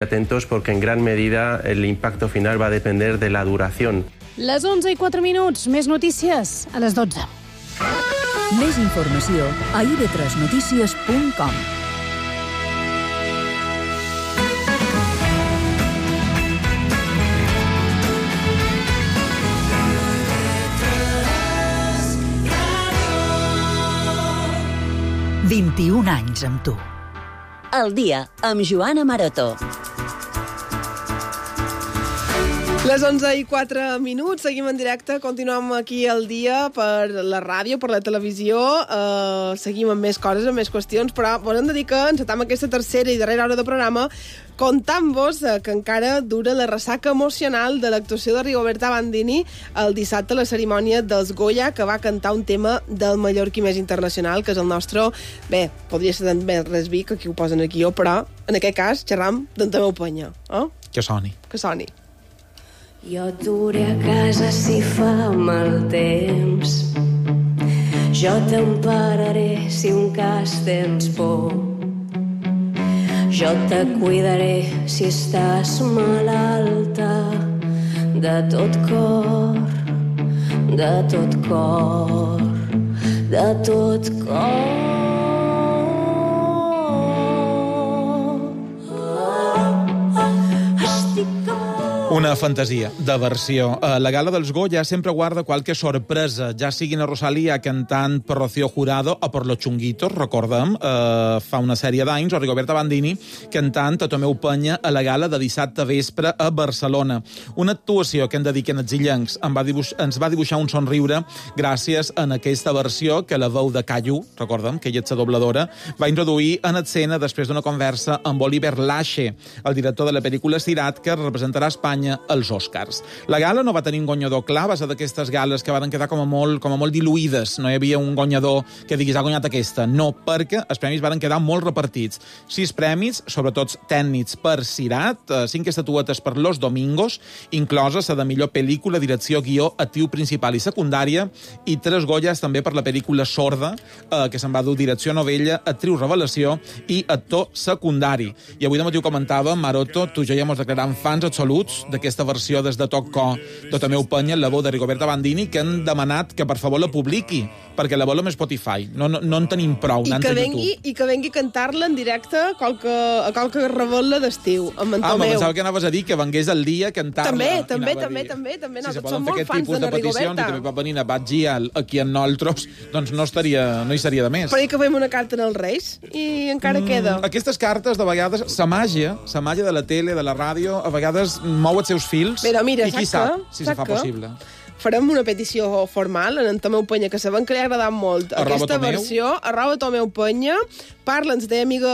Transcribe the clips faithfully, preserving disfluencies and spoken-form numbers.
Atentos porque en gran medida el impacto final va a depender de la duración. Les onze i quatre minuts, més notícies a les dotze. Més informació a i be tres notícies punt com. vint-i-un anys amb tu. El dia amb Joana Maroto. Les onze i quatre minuts, seguim en directe, continuem aquí al dia per la ràdio, per la televisió, uh, seguim amb més coses, amb més qüestions, però volem dir que encetam aquesta tercera i darrera hora de programa contant-vos uh, que encara dura la ressaca emocional de l'actuació de Rigoberta Bandini el dissabte a la cerimònia dels Goya, que va cantar un tema del mallorquí més internacional, que és el nostre... Bé, podria ser també res vi, que aquí ho posen aquí, però en aquest cas xerram d'en Tomeu Penya. Eh? Que soni. Que soni. Jo et duré a casa si fa mal temps. Jo t'empararé si un cas tens por. Jo te cuidaré si estàs malalta. De tot cor, de tot cor, de tot cor. Una fantasia de versió. La gala dels Goya sempre guarda qualque sorpresa, ja siguin a Rosalía cantant per Rocío Jurado o per Los Chunguitos, recordem, eh, fa una sèrie d'anys, o Rigoberta Bandini cantant a Tomeu Penya a la gala de dissabte vespre a Barcelona. Una actuació que hem de dir que en els illencs va dibuix, ens va dibuixar un somriure gràcies a aquesta versió que la veu de Cayu, recordem, que ella és la dobladora, va introduir en escena després d'una conversa amb Oliver Lache, el director de la pel·lícula Sirat, que representarà Espanya als Oscars. La gala no va tenir un guanyador clar, va ser d'aquestes gales que van quedar com a molt, com a molt diluïdes. No hi havia un guanyador que diguis ha guanyat aquesta. No, perquè els premis van quedar molt repartits. Sis premis, sobretot tècnics per Sirat, cinc estatuetes per Los Domingos, inclosa la de millor pel·lícula, direcció, guió, actriu principal i secundària, i tres Goyas també per la pel·lícula Sorda, eh, que se'n va dur direcció novella, actriu revelació i actor secundari. I avui de matí ho comentàvem, Maroto, tu i jo ja mos declaràvem fans absoluts d'aquesta versió des de Toc Co de Tomeu Penya, la veu de Rigoberta Bandini, que han demanat que per favor la publiqui, perquè la volem a Spotify. No, no, no en tenim prou, I que, vengui, I que vengui a cantar-la en directe a qualque, a qualque rebel·la d'estiu, amb en ah, Tomeu. Ah, pensava que anaves a dir que vengués al dia a cantar-la. També, també, també, també, també. Si no, se poden fer aquest tipus de, de peticions i també pot venir a Batgi aquí en nosaltres, doncs no, estaria, no hi seria de més. Però que fem una carta als Reis i encara mm, queda. Aquestes cartes, de vegades, la màgia, la màgia de la tele, de la ràdio, a vegades mou els seus fils. Però mira, i qui sap si se fa possible. Farem una petició formal en en Tomeu Penya, que sabem que li ha agradat molt arroba aquesta Tomeu. versió, arroba Tomeu Penya, parla'ns de amiga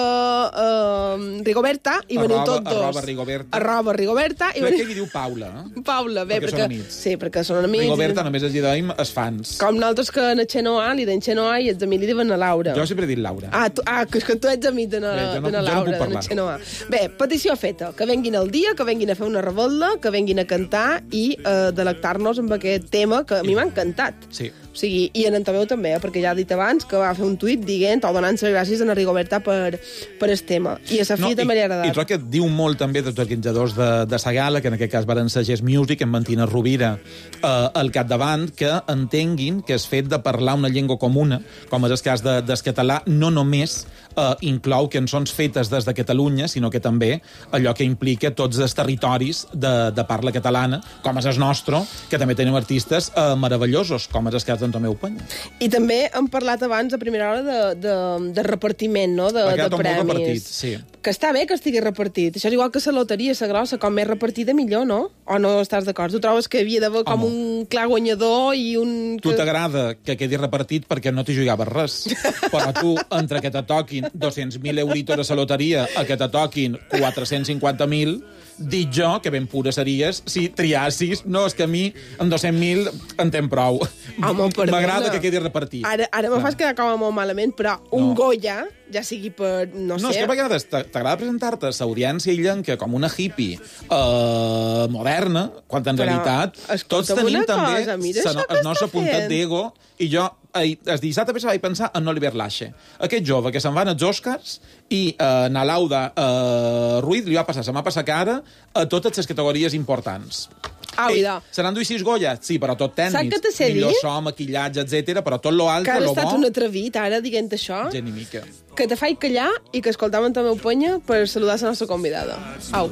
uh, Rigoberta i veniu arroba, tots dos. Arroba Rigoberta. Arroba Rigoberta. I Crec veniu... que li diu Paula. Eh? Paula, bé, perquè, perquè, perquè sí, perquè són amics. Rigoberta i... només els diem els fans. Com nosaltres que en Xenoa li deien Xenoa i els amics li diuen a Laura. Jo sempre he dit Laura. Ah, tu, ah que, que tu ets amic de na, bé, no, de na Laura, no de na Xenoa. Bé, petició feta, que venguin al dia, que venguin a fer una revolta, que venguin a cantar i uh, delectar-nos amb aquest tema que a mi m'ha encantat. Sí. O sigui, i en en Tomeu també, eh, perquè ja ha dit abans que va fer un tuit dient o donant-se gràcies a na Rigoberta per, per el tema. I a sa filla no, també li ha agradat. I trobo que diu molt també dels organitzadors de, de sa gala, que en aquest cas van ser Gest Music, en Martina Rovira eh, al capdavant, que entenguin que el fet de parlar una llengua comuna, com és el cas de, del català, no només eh, inclou cançons fetes des de Catalunya, sinó que també allò que implica tots els territoris de, de parla catalana, com és el nostre, que també tenim artistes eh, meravellosos, com és el cas d'en Tomeu Penya. I també hem parlat abans, a primera hora, de, de, de repartiment, no?, de, de premis. Repartit, sí. Que està bé que estigui repartit. Això és igual que la loteria, la grossa, com més repartida millor, no? O no estàs d'acord? Tu trobes que havia d'haver com un clar guanyador i un... Tu t'agrada que quedi repartit perquè no t'hi jugaves res. Però tu, entre que te toquin dos-cents mil euritos a la loteria a que te toquin quatre-cents cinquanta mil, dic jo que ben pura series si triassis, no, és que a mi amb dos-cents mil en tem prou. M'agrada que quedi repartit. Ara, ara me fas quedar com a molt malament, però un no. Goya, ja sigui per, no, no sé... No, és que a vegades t'agrada presentar-te a l'audiència illenca com una hippie uh, moderna, quan en però, realitat tots tenim també el nostre puntet d'ego, i jo el dissabte vaig pensar en Oliver Lache, aquest jove que se'n van als Oscars i eh, na Lauda eh, Ruiz li va passar, se m'ha passat cara a totes les categories importants. Ah, Ei, se n'han duit sis Goya, sí, però tot tècnics. Millor so, maquillatge, etcètera, però tot lo altre, lo bo... Que has estat un atrevit, ara, dient això. Gent i mica. Que te faig callar i que escoltàvem la meva penya per saludar la nostra convidada. Au.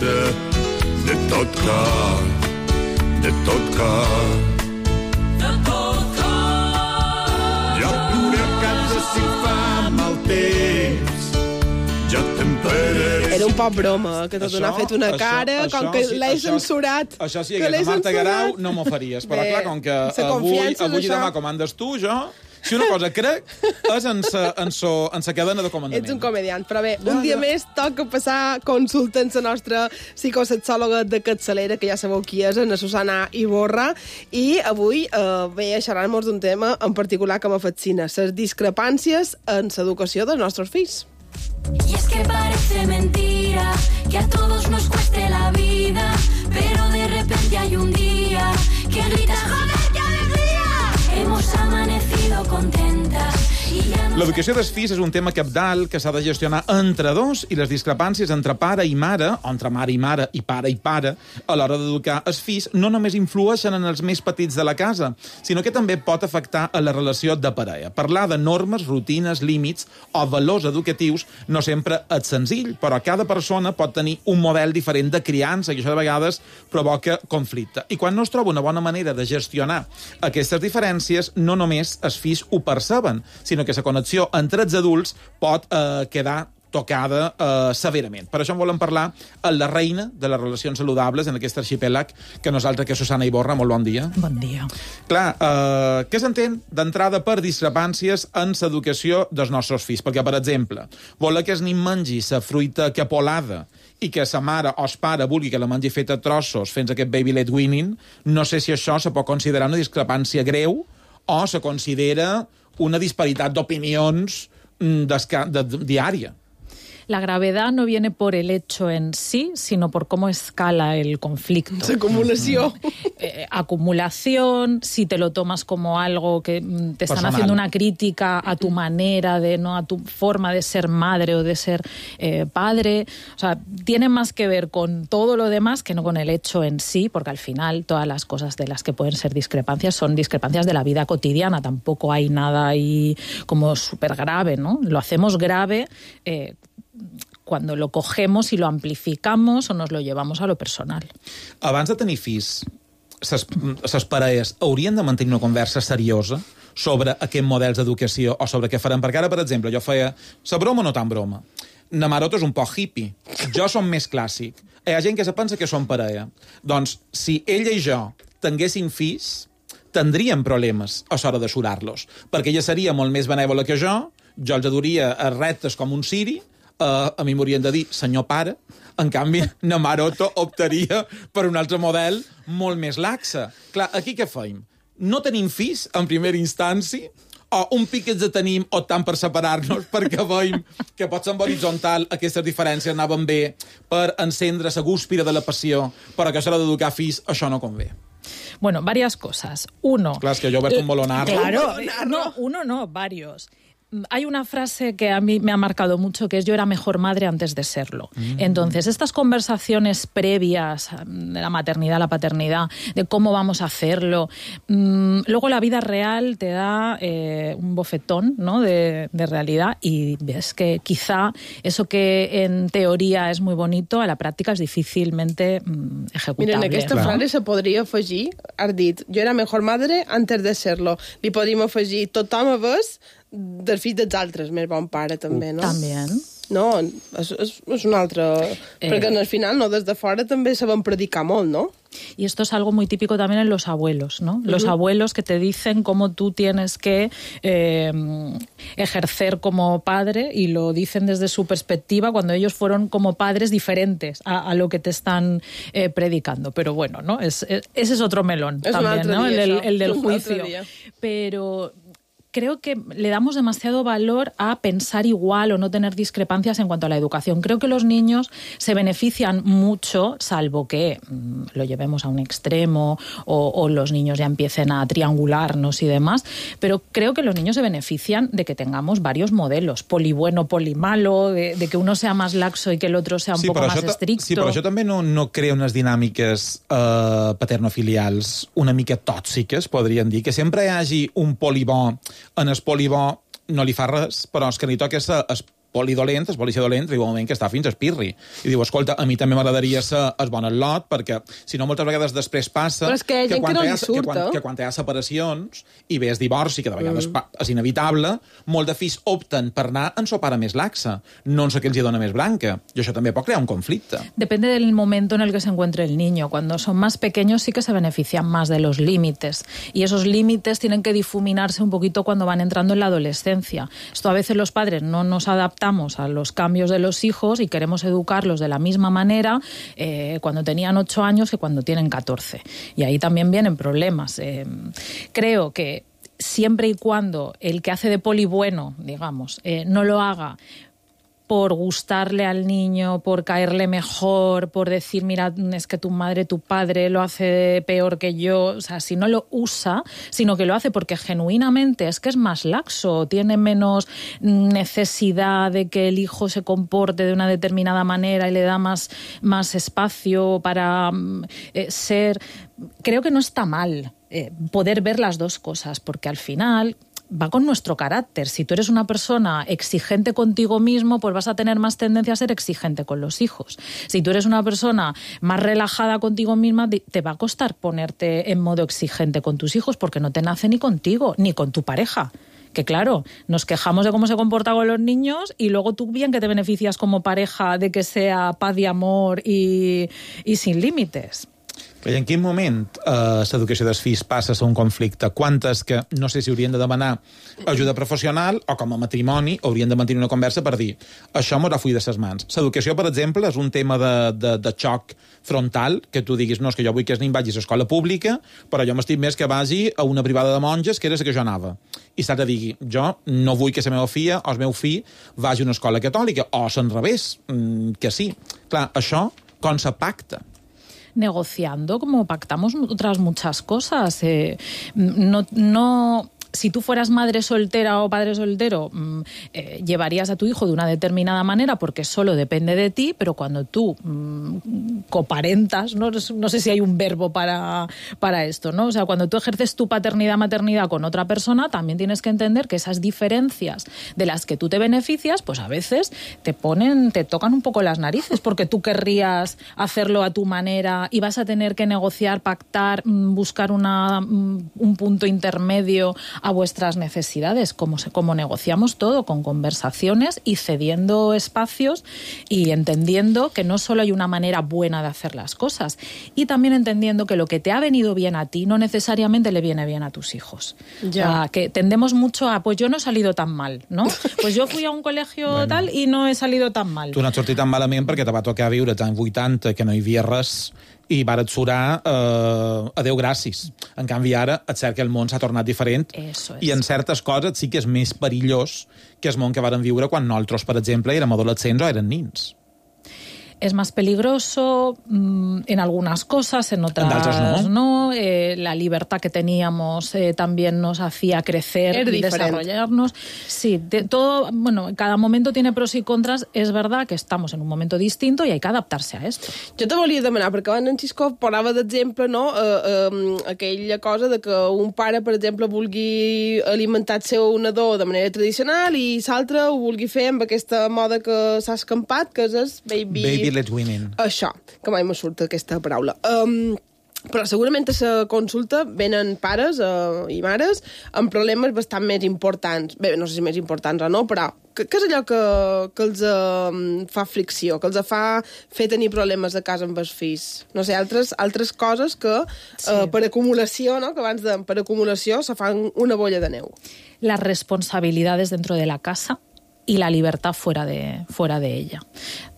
De tot cor, de tot cor. De tot cor. Jo ploré a casa si fa mal temps. Jo t'emperaré. Era un poc broma, que tot n'ha fet una això, cara, això, com que sí, l'he això, censurat. Això sí, que la Marta Garau no m'ho faries. Però bé, clar, com que avui, avui i demà comandes tu, jo... Si una cosa crec, és en sa, en so, en sa cadena de comandament. Ets un comediant, però bé, un dia més toca passar consulta amb la nostra psicosexòloga de capçalera, que ja sabeu qui és, la Susana Iborra, i avui eh, ve a xerrar-nos d'un tema en particular que m'afascina, les discrepàncies en l'educació dels nostres fills. Y es que parece mentira que a todos nos cueste la vida, pero de repente hay un día que gritas ¡joder, qué alegría! Hemos amanecido contentas. L'educació dels fills és un tema cabdal que s'ha de gestionar entre dos i les discrepàncies entre pare i mare, o entre mare i mare i pare i pare, a l'hora d'educar els fills, no només influeixen en els més petits de la casa, sinó que també pot afectar a la relació de parella. Parlar de normes, rutines, límits o valors educatius no sempre és senzill, però cada persona pot tenir un model diferent de criança i això de vegades provoca conflicte. I quan no es troba una bona manera de gestionar aquestes diferències, no només els fills ho perceben, sinó que la connexió entre els adults pot eh, quedar tocada eh, severament. Per això en volem parlar a la reina de les relacions saludables en aquest arxipèlag que nosaltres, que és Susana Iborra. Molt bon dia. Bon dia. Clar, eh, què s'entén d'entrada per discrepàncies en l'educació dels nostres fills? Perquè, per exemple, voler que el nen mengi la fruita capolada i que sa mare o el pare vulgui que la mengi feta a trossos fent aquest baby led weaning, no sé si això se pot considerar una discrepància greu o se considera una disparitat d'opinions de, de, diària. La gravedad no viene por el hecho en sí, sino por cómo escala el conflicto. Esa acumulación. Eh, acumulación, si te lo tomas como algo que te están personal, haciendo una crítica a tu manera de, no a tu forma de ser madre o de ser eh, padre. O sea, tiene más que ver con todo lo demás que no con el hecho en sí, porque al final todas las cosas de las que pueden ser discrepancias son discrepancias de la vida cotidiana. Tampoco hay nada ahí como súper grave, ¿no? Lo hacemos grave eh, cuando lo cogemos y lo amplificamos o nos lo llevamos a lo personal. Abans de tenir fills, les parelles haurien de mantenir una conversa seriosa sobre aquests models d'educació o sobre què farem. Perquè ara, per exemple, jo feia la broma o no tan broma. Na Maroto és un poc hippie. Jo som més clàssic. Hi ha gent que se pensa que som parella. Doncs, si ella i jo tinguéssim fills, tindríem problemes a l'hora de surar-los. Perquè ella seria molt més benèvola que jo, jo els adoria a reptes com un siri, Uh, a mi m'haurien de dir senyor pare, en canvi na Maroto optaria per un altre model molt més laxa. Clar, aquí què feim? No tenim fills en primera instància, o un pic que ens tenim optant per separar-nos perquè veiem que pot ser en horitzontal aquestes diferències anaven bé per encendre la gúspira de la passió, però que a l'hora d'educar fills això no convé. Bueno, varias cosas. Uno... Clar, és que jo he obert un bolonarro. Claro, no, uno no, varios. Hay una frase que a mí me ha marcado mucho, que es yo era mejor madre antes de serlo. Mm. Entonces, estas conversaciones previas de la maternidad, la paternidad, de cómo vamos a hacerlo, mmm, luego la vida real te da eh, un bofetón, ¿no?, de, de realidad, y ves que quizá eso que en teoría es muy bonito, a la práctica es difícilmente mmm, ejecutable. Mira, en aquesta ¿no? frase se podria afegir, has dit, jo era mejor madre antes de serlo. Li podríem afegir, tothom a ves del fill dels altres, més bon pare, també, no? També. No, és, és, és un altre... Eh... Perquè al final, no, des de fora també sabem predicar molt, no? Y esto es algo muy típico también en los abuelos, ¿no? Los uh-huh. abuelos que te dicen cómo tú tienes que eh, ejercer como padre, y lo dicen desde su perspectiva cuando ellos fueron como padres diferentes a, a lo que te están eh, predicando. Pero bueno, ¿no? Es, es, ese es otro melón es también, un ¿no? Día, el, el, el del juicio. Pero... creo que le damos demasiado valor a pensar igual o no tener discrepancias en cuanto a la educación. Creo que los niños se benefician mucho, salvo que mmm, lo llevemos a un extremo o, o los niños ya empiecen a triangularnos y demás, pero creo que los niños se benefician de que tengamos varios modelos, poli bueno, poli malo, de, de que uno sea más laxo i que el otro sea un sí, poco más això estricto. Sí, però això també no, no crea unes dinàmiques eh, paternofilials una mica tòxiques, podríem dir, que sempre hi hagi un poli bo, en el poli bo no li fa res, però és que li toca ser es polidolent, es policia dolent, arriba un moment que està fins a espirri. I diu, escolta, a mi també m'agradaria ser el bon lot, perquè si no moltes vegades després passa però és que, que, quan que, no ha, surt, que, quan, eh? que quan hi ha separacions i ve el divorci, que de vegades mm. és inevitable, molts de fills opten per anar en su pare més laxa, no en su que els dona més branca. I això també pot crear un conflicte. Depende del momento en el que se encuentre el niño. Cuando son más pequeños sí que se benefician más de los límites. Y esos límites tienen que difuminarse un poquito cuando van entrando en la adolescencia. Esto a veces los padres no nos adaptamos a los cambios de los hijos y queremos educarlos de la misma manera eh, cuando tenían ocho años que cuando tienen catorce. Y ahí también vienen problemas. Eh, creo que siempre y cuando el que hace de poli bueno, digamos, eh, no lo haga por gustarle al niño, por caerle mejor, por decir, mira, es que tu madre, tu padre lo hace peor que yo. O sea, si no lo usa, sino que lo hace porque genuinamente es que es más laxo, tiene menos necesidad de que el hijo se comporte de una determinada manera y le da más, más espacio para eh, ser... Creo que no está mal eh, poder ver las dos cosas, porque al final... va con nuestro carácter. Si tú eres una persona exigente contigo mismo, pues vas a tener más tendencia a ser exigente con los hijos. Si tú eres una persona más relajada contigo misma, te va a costar ponerte en modo exigente con tus hijos porque no te nace ni contigo, ni con tu pareja. Que claro, nos quejamos de cómo se comporta con los niños y luego tú bien que te beneficias como pareja de que sea paz y amor y, y sin límites. I en quin moment eh, l'educació dels fills passa a ser un conflicte? Quantes que no sé si haurien de demanar ajuda professional o com a matrimoni haurien de mantenir una conversa per dir això m'ho refull de ses mans. L'educació, per exemple, és un tema de, de, de xoc frontal, que tu diguis, no, és que jo vull que el nen vagi a l'escola pública, però jo m'estic més que vagi a una privada de monges, que era la que jo anava. I s'ha de dir, jo no vull que la meva filla o el meu fill vagi a una escola catòlica, o al revés, que sí. Clar, això com se pacta? Negociando como pactamos otras muchas cosas. Eh, no, no, si tú fueras madre soltera o padre soltero, eh, llevarías a tu hijo de una determinada manera porque solo depende de ti, pero cuando tú mm, coparentas, ¿no? no sé si hay un verbo para, para esto, ¿no? O sea, cuando tú ejerces tu paternidad, maternidad con otra persona, también tienes que entender que esas diferencias de las que tú te beneficias, pues a veces te ponen, te tocan un poco las narices porque tú querrías hacerlo a tu manera y vas a tener que negociar, pactar, buscar una, un punto intermedio a vuestras necesidades, como, se, como negociamos todo, con conversaciones y cediendo espacios y entendiendo que no solo hay una manera buena de hacer las cosas, y también entendiendo que lo que te ha venido bien a ti no necesariamente le viene bien a tus hijos. Ya. Uh, que tendemos mucho a, pues yo no he salido tan mal, ¿no? Pues yo fui a un colegio bueno, tal i no he salido tan mal. Tu no has sortit tan malament perquè te va tocar viure als anys vuitanta, que no hi havia res, i varen surar eh, a Déu gràcies. En canvi, ara és cert que el món s'ha tornat diferent i en certes coses sí que és més perillós que el món que varen viure quan nosaltres, per exemple, érem adolescents o eren nins. Es más peligroso mmm, en algunas cosas, en otras no. no. Eh, la libertad que teníamos eh, también nos hacía crecer y desarrollarnos. Sí, de, todo, bueno, cada momento tiene pros y contras. Es verdad que estamos en un momento distinto y hay que adaptarse a esto. Jo te volia demanar, perquè abans en Xisco parlava d'exemple, no? Eh, eh, aquella cosa de que un pare, per exemple, vulgui alimentar el seu nadó de manera tradicional i l'altre ho vulgui fer amb aquesta moda que s'ha escampat, que és baby... baby Let's Women. Això, que mai me surt aquesta paraula. Um, però segurament a la consulta venen pares uh, i mares amb problemes bastant més importants. Bé, no sé si més importants o no, però què és allò que, que els uh, fa fricció, que els fa fer tenir problemes a casa amb els fills? No sé, altres, altres coses que sí. uh, per acumulació, no? Que abans de, per acumulació se fan una bolla de neu. Las responsabilidades dentro de la casa y la libertad fuera de, fuera de ella.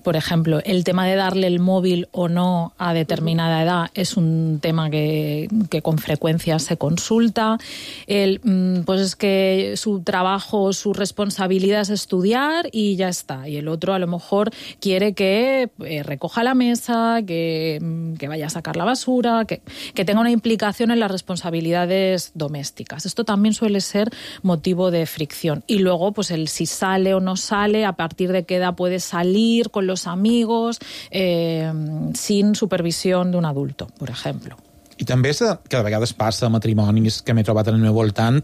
Por ejemplo, el tema de darle el móvil o no a determinada edad es un tema que, que con frecuencia se consulta. El, pues es que su trabajo, su responsabilidad es estudiar y ya está. Y el otro a lo mejor quiere que eh, recoja la mesa, que, que vaya a sacar la basura, que, que tenga una implicación en las responsabilidades domésticas. Esto también suele ser motivo de fricción. Y luego, pues el si sale o no sale, a partir de qué edad puede salir con los amigos, eh, sin supervisió d'un adulto, per exemple. I també que de vegades passa a matrimonis que m'he trobat en el meu voltant,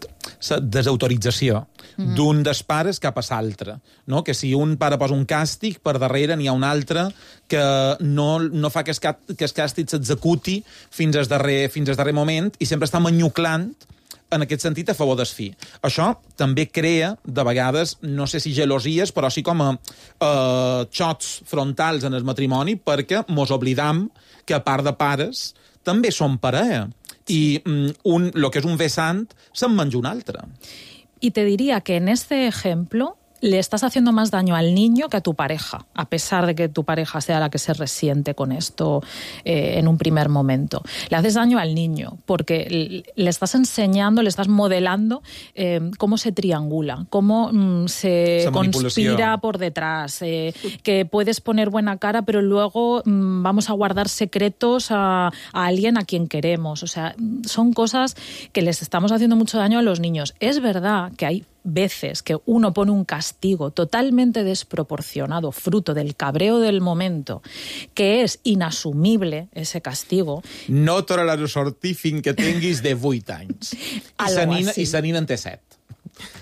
la desautorització mm. d'un dels pares cap a l'altre. No? Que si un pare posa un càstig, per darrere n'hi ha un altre que no, no fa que el, que el càstig s'executi fins al darrer, fins al darrer moment i sempre està manyuclant en aquest sentit, a favor del fi. Això també crea, de vegades, no sé si gelosies, però sí com a eh, xocs frontals en el matrimoni, perquè mos oblidam que, a part de pares, també són parella. I un, lo que és un vessant se'n menja un altre. Y te diría que en este ejemplo le estás haciendo más daño al niño que a tu pareja, a pesar de que tu pareja sea la que se resiente con esto eh, en un primer momento. Le haces daño al niño porque le estás enseñando, le estás modelando eh, cómo se triangula, cómo mm, se conspira por detrás, eh, que puedes poner buena cara, pero luego mm, vamos a guardar secretos a, a alguien a quien queremos. O sea, son cosas que les estamos haciendo mucho daño a los niños. Es verdad que hay veces que uno pone un castigo totalmente desproporcionado, fruto del cabreo del momento, que és inassumible, ese castigo. No tornaràs a sortir fins que tinguis de vuit anys. I sa nina, i sa nina en té set.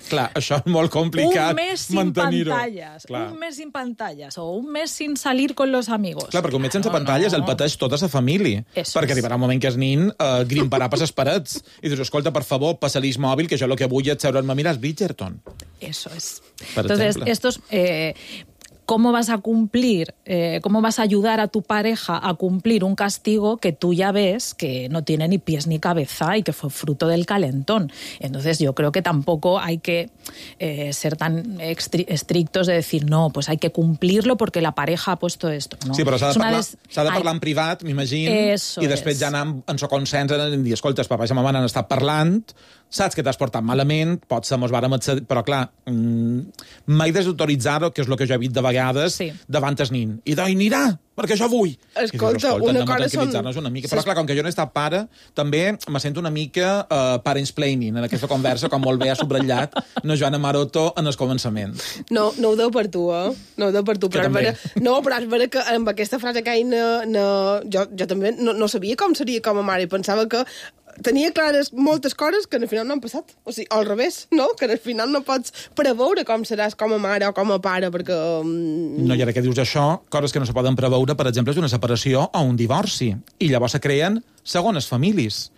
Clar, això és molt complicat. Un mes sin pantalles, Clar. un mes sin pantalles, o un mes sin salir con los amigos. Clar, perquè un mes sense no, pantalles no. el pateix tota sa família. Eso perquè es. arribarà un moment que el nin eh, grimparà per les parets i dius, escolta, per favor, passa-li el mòbil, que jo el que vull és seure'm a mirar Bridgerton. Eso es. Per Entonces, ejemplo. estos... Eh, ¿Cómo vas a cumplir, eh, cómo vas a ayudar a tu pareja a cumplir un castigo que tú ya ves que no tiene ni pies ni cabeza y que fue fruto del calentón? Entonces yo creo que tampoco hay que eh, ser tan estrictos de decir, no, pues hay que cumplirlo porque la pareja ha puesto esto. No. Sí, però s'ha de parlar, des... s'ha de parlar hay... en privat, m'imagino, i després ja anar en so consens en dir, escolta, els papà i la mama n'han estat parlant, saps que t'has portat malament, potser mos vàrem accedir, però clar, mmm, mai desautoritzar-ho, que és el que jo he vist de vegades, sí. davant el nin. I d'oi anirà, perquè jo vull. Escolta, dius, una cosa són... Una mica. Però clar, com que jo no he estat pare, també me sento una mica uh, parentsplaining en aquesta conversa, com molt bé ha subratllat no Joana Maroto en el començament. No, no ho deu per tu, eh? No ho deu per tu. Però vera... No, però és vera que amb aquesta frase que hi no, no... jo, jo també no, no sabia com seria com a mare i pensava que tenia clares moltes coses que al final no han passat. O sigui, al revés, no? Que al final no pots preveure com seràs com a mare o com a pare, perquè... Um... No, i ara que dius això, coses que no se poden preveure, per exemple, és una separació o un divorci. I llavors se creen segones famílies.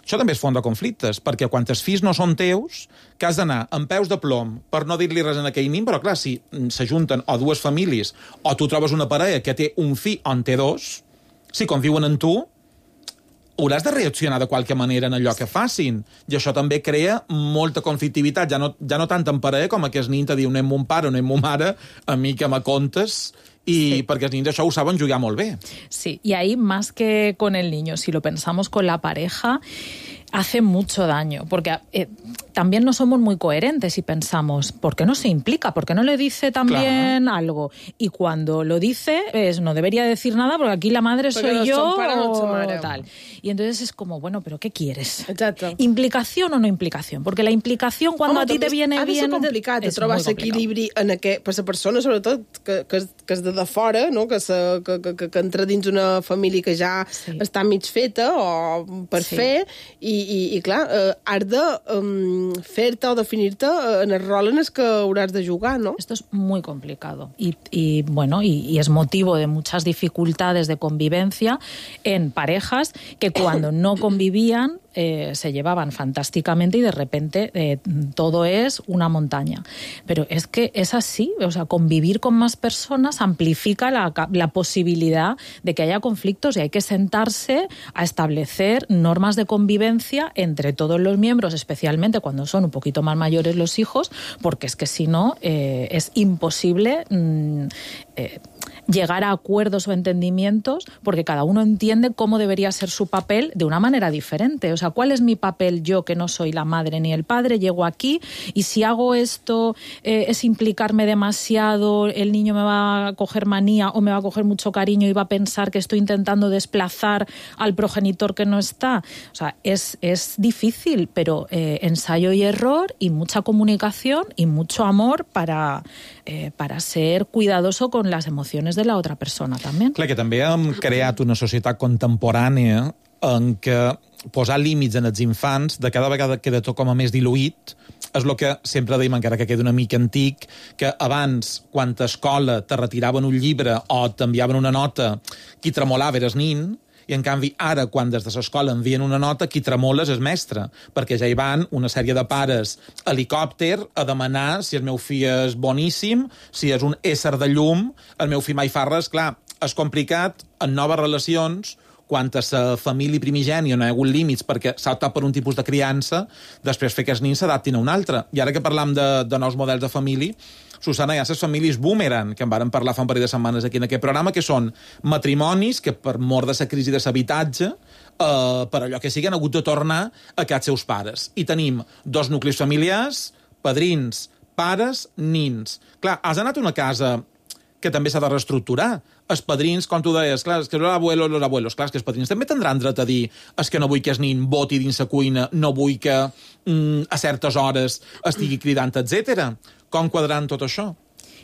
Això també és font de conflictes, perquè quan els fills no són teus, que has d'anar amb peus de plom per no dir-li res en aquell nin, però clar, si s'ajunten o dues famílies, o tu trobes una parella que té un fill o en té dos, si conviuen en tu, hauràs de reaccionar de qualque manera en allò que facin. I això també crea molta conflictivitat, ja no, ja no tant en parella com aquest nin te diu no és mon pare o no és mon mare, a mi que me contes, i sí. perquè els nins això ho saben jugar molt bé. Sí, y ahí más que con el niño, si lo pensamos con la pareja, hace mucho daño, porque eh, también no somos muy coherentes y pensamos, ¿por qué no se implica? ¿Por qué no le dice también claro. algo? Y cuando lo dice, es, no debería decir nada porque aquí la madre porque soy yo o tal. Y entonces es como, bueno, ¿pero qué quieres? Exacto. ¿Implicación o no implicación? Porque la implicación cuando Home, a ti te viene ha de bien... Ha de ser complicat de trobar l'equilibri en aquest, per la persona, sobretot, que, que, que és de, de fora, no? que, se, que, que, que entra dins una família que ja sí. està mig feta o per sí. fer, i, i, i clar, eh, has de um, fer-te o definir-te en el rol en el que hauràs de jugar, ¿no? Esto es muy complicado y, y bueno, y, y es motivo de muchas dificultades de convivencia en parejas que cuando no convivían eh, se llevaban fantásticamente y de repente eh, todo es una montaña. Pero es que es así, o sea, convivir con más personas amplifica la, la posibilidad de que haya conflictos y hay que sentarse a establecer normas de convivencia entre todos los miembros, especialmente cuando son un poquito más mayores los hijos, porque es que si no eh, es imposible mm, eh, llegar a acuerdos o entendimientos, porque cada uno entiende cómo debería ser su papel de una manera diferente. O sea, ¿cuál es mi papel yo, que no soy la madre ni el padre? Llego aquí y si hago esto eh, es implicarme demasiado, el niño me va a coger manía o me va a coger mucho cariño y va a pensar que estoy intentando desplazar al progenitor que no está. O sea, es, es difícil, pero eh, ensayo y error y mucha comunicación y mucho amor para, eh, para ser cuidadoso con las emociones de la otra persona també. Clar, que també hem creat una societat contemporània en què posar límits en els infants de cada vegada queda tot com a més diluït. És el que sempre deim, encara que queda una mica antic, que abans, quan a escola te retiraven un llibre o t'enviaven una nota, qui tremolava era el nin, i en canvi ara, quan des de l'escola envien una nota, qui tremola és el mestre, perquè ja hi van una sèrie de pares a helicòpter a demanar si el meu fill és boníssim, si és un ésser de llum, el meu fill mai fa res. Clar, és complicat en noves relacions, quan a la família primigènia no hi ha hagut límits perquè s'ha optat per un tipus de criança, després fer que els nins s'adaptin a un altre. I ara que parlam de, de nous models de família, Susana, hi ha les famílies boomerang, que en vàrem parlar fa un parell de setmanes aquí en aquest programa, que són matrimonis que per mort de la crisi de l'habitatge, eh, per allò que sigui, han hagut de tornar a casa seus pares. I tenim dos nuclis familiars, padrins, pares, nins. Clar, has anat a una casa que també s'ha de reestructurar. Els padrins, com tu deies, clar, és que los abuelos, los abuelos, clar, és que els padrins també tindran dret a dir és que no vull que el nin boti dins la cuina, no vull que mm, a certes hores estigui cridant, etcètera. Com quadrant tot això?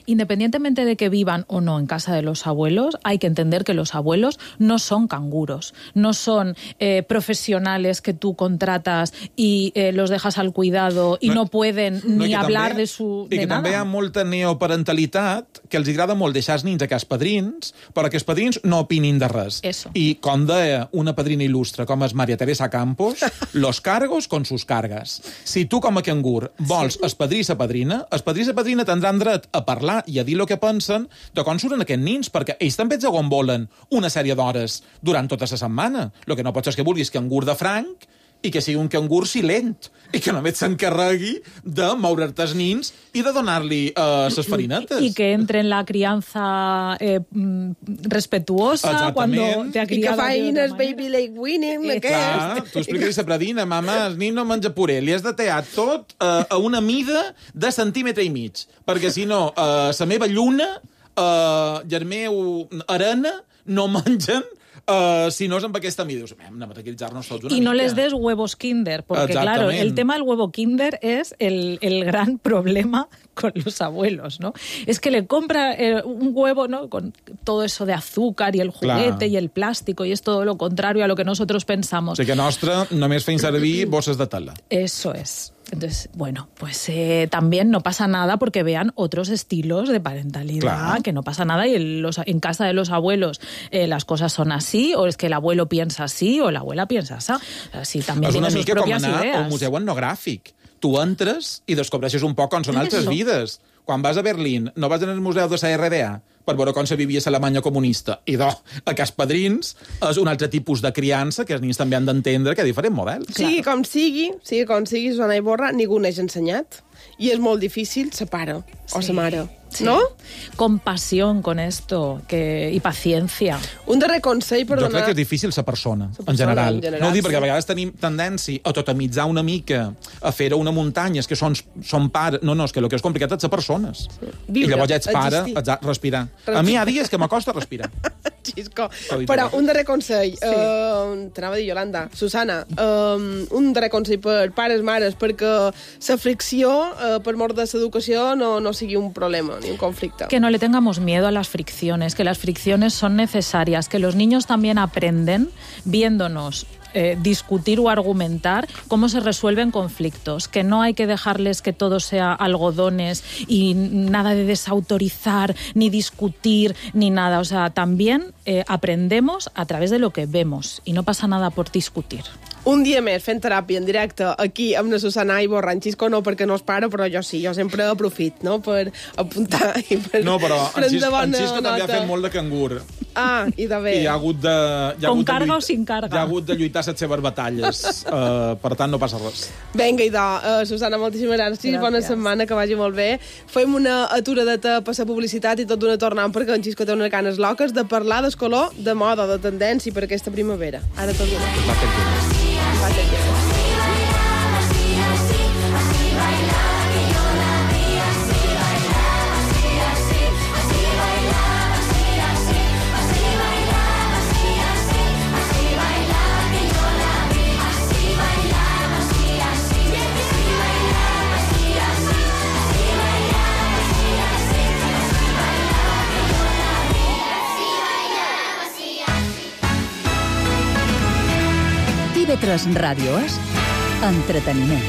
Independientemente de que vivan o no en casa de los abuelos, hay que entender que los abuelos no son canguros, no son eh, profesionales que tú contratas y eh, los dejas al cuidado y no, no pueden no, ni hablar també, de su... I de que nada. també hi ha molta neoparentalitat que els agrada molt deixar els nins a casa padrins, però que els padrins no opinin de res. Eso. I com deia una padrina il·lustre com és Maria Teresa Campos, los cargos con sus cargas. Si tu com a cangur vols sí. el padrí i la padrina, el padrí i la padrina tindran dret a parlar i a dir el que pensen de com surten aquests nins, perquè ells també et volen una sèrie d'hores durant tota la setmana. El que no pots és que vulguis cangur de franc i que sigui un cangur silent, i que només s'encarregui de moure't els nins i de donar-li uh, les farinetes. Y que entre en la crianza eh, respetuosa cuando te ha criado. I que faines baby leg winning, eh, clar, tu expliques a Pradina, mama, el nin no menja puré, li has de tear tot uh, a una mida de centímetre i mig, perquè si no, uh, la meva lluna uh, i el meu arena no mengen Uh, si no és amb aquesta mida. Hem de tranquil·litzar-nos tots una y no mica. les des huevos Kinder, porque claro, el tema del huevo Kinder es el, el gran problema con los abuelos, ¿no? Es que le compra eh, un huevo, ¿no? Con todo eso de azúcar y el juguete Clar. y el plástico, y es todo lo contrario a lo que nosotros pensamos. O sigui que nostre només feim servir bosses de tela. Eso es. Entonces, bueno, pues eh, también no pasa nada porque vean otros estilos de parentalidad, claro. que no pasa nada y en, los, en casa de los abuelos eh, las cosas son así, o es que el abuelo piensa así o la abuela piensa así. Así también tiene sus propias ideas. És una mica com anar al museu etnogràfic. Tu entres i descobreixes un poc com són altres vides. Quan vas a Berlín, no vas al museu de la R D A per veure com se vivia a l'Alemanya comunista. I do, a cas padrins és un altre tipus de criança que els nins també han d'entendre que hi ha diferents models. Sigui claro. com sigui, sigui com sigui, Susana Iborra, ningú n'has ensenyat. I és molt difícil ser pare sí. o ser mare. Sí. ¿No? Compasión con esto que, y paciencia. Un darrer consell per jo donar... Jo crec que és difícil ser persona, persona en general. En general no ho dic sí. perquè a vegades tenim tendència a totemitzar una mica, a fer-ho una muntanya, és que són, són pares... No, no, és que el que és complicat és ser persones. Sí. Viure, I llavors ja ets pare, ets a respirar. respirar. A mi hi ha dies que m'acosta respirar. Xisco. Però un darrer consell. Sí. Uh, T'anava a dir, Yolanda. Susana, um, un darrer consell per pares, mares, perquè la fricció, uh, per mort de l'educació, no, no sigui un problema, ni un conflicte. Que no le tengamos miedo a las fricciones, que las fricciones son necesarias, que los niños también aprenden viéndonos eh, discutir o argumentar cómo se resuelven conflictos, que no hay que dejarles que todo sea algodones y nada de desautorizar, ni discutir, ni nada. O sea, también eh, aprendemos a través de lo que vemos y no pasa nada por discutir. Un dia més fent teràpia en directe aquí amb la Susana Iborra. En Xisco no, perquè no es para, però jo sí, jo sempre aprofit, no?, per apuntar i per No, però en prendre Xisco, bona en Xisco també ha nota. fet molt de cangur. Ah, i de bé. I ha hagut de... Hi ha Con hagut de carga lluit- o sin carga? Hi ha hagut de lluitar les seves batalles. uh, per tant, no passa res. Vinga, idò. Uh, Susana, moltíssimes gràcies. Gràcies. Bona setmana, que vagi molt bé. Fem una aturadeta per la publicitat i tot d'una tornant, perquè en Xisco té unes ganes loques de parlar del color, de moda, de tendència per aquesta primavera. Ara tot d'una. Va fer temps. Va fer temps. I V tres Ràdio és entreteniment.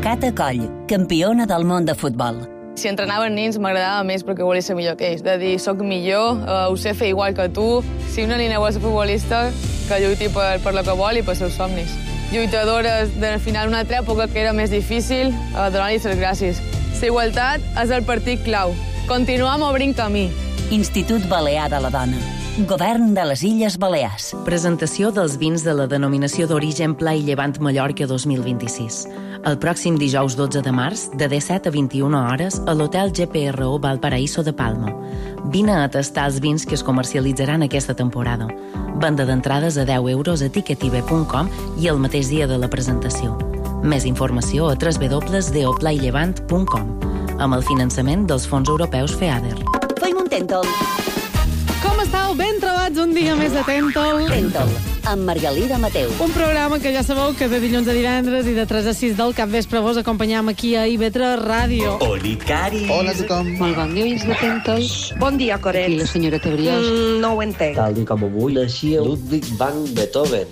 Cata Coll, campiona del món de futbol. Si entrenaven nens m'agradava més perquè volia ser millor que ells. De dir, soc millor, uh, ho sé fer igual que tu. Si una nina vol ser futbolista, que lluiti per, per lo que vol i per seus somnis. Lluitadores del final d'una altra època que era més difícil, uh, donar-li les gràcies. La igualtat és el partit clau. Continuem obrint camí. Institut Balear de la Dona. Govern de les Illes Balears. Presentació dels vins de la denominació d'origen Pla i Llevant Mallorca dos mil vint-i-sis. El pròxim dijous dotze de març, de disset a vint-i-una hores, a l'Hotel G P R O Valparaíso de Palma. Vine a tastar els vins que es comercialitzaran aquesta temporada. Venda d'entrades a deu euros a ticketibe punt com i el mateix dia de la presentació. Més informació a w w w punt deoplaillevant punt com, amb el finançament dels fons europeus FEADER. Feim un tèntol. Com estàu? Ben trobats un dia més de Tèntol. Tèntol, amb Margalida Mateu. Un programa que ja sabeu que de dilluns a divendres i de tres a sis del capvespre vos acompanyam aquí a I V tres Ràdio. Oli, Cari. Hola a tothom. Molt bon dia, de Tèntol. Bon dia, Coret. I la senyora Brioix. Mm, no ho entenc. Tal com avui naixia Ludwig van Beethoven.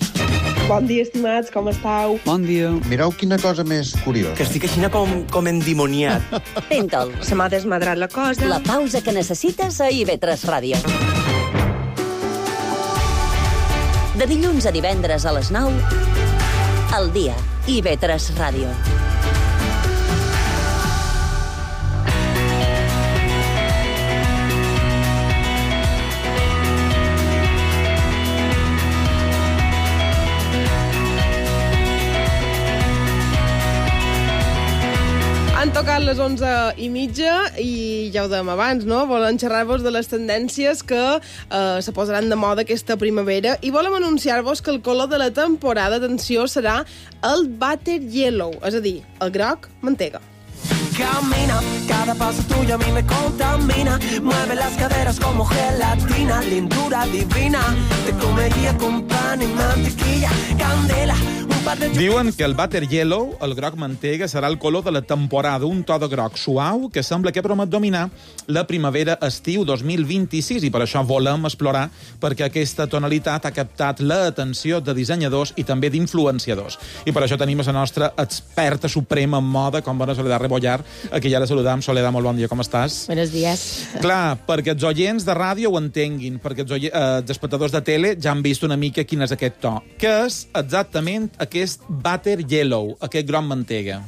Bon dia, estimats, com estàu? Bon dia. Mireu quina cosa més curiosa. Que estic així com, com endimoniat. Tèntol. Se m'ha desmadrat la cosa. La pausa que necessites a I V tres Ràdio. De dilluns a divendres a les nou, al dia, I V tres Ràdio. Han tocat les onze i mitja i ja ho dèiem abans, no? Volen xerrar-vos de les tendències que eh, se posaran de moda aquesta primavera i volem anunciar-vos que el color de la temporada, atenció, serà el Butter Yellow, és a dir, el groc mantega. Camina, cada paso tuyo a mí me contamina. Mueve las caderas como gelatina, lindura divina. Te comería con pan y mantequilla, candela. Diuen que el Butter Yellow, el groc mantega, serà el color de la temporada, un to de groc suau que sembla que promet dominar la primavera-estiu dos mil vint-i-sis i per això volem explorar perquè aquesta tonalitat ha captat l'atenció de dissenyadors i també d'influenciadors. I per això tenim a la nostra experta suprema en moda, com bona Soledad Rebollar, a qui ja la saludam. Soledad, molt bon dia, com estàs? Buenos días. Clar, perquè els oients de ràdio ho entenguin, perquè els, oie... eh, els espectadors de tele ja han vist una mica quin és aquest to. Què és exactament aquest Butter Yellow, aquest groc mantega?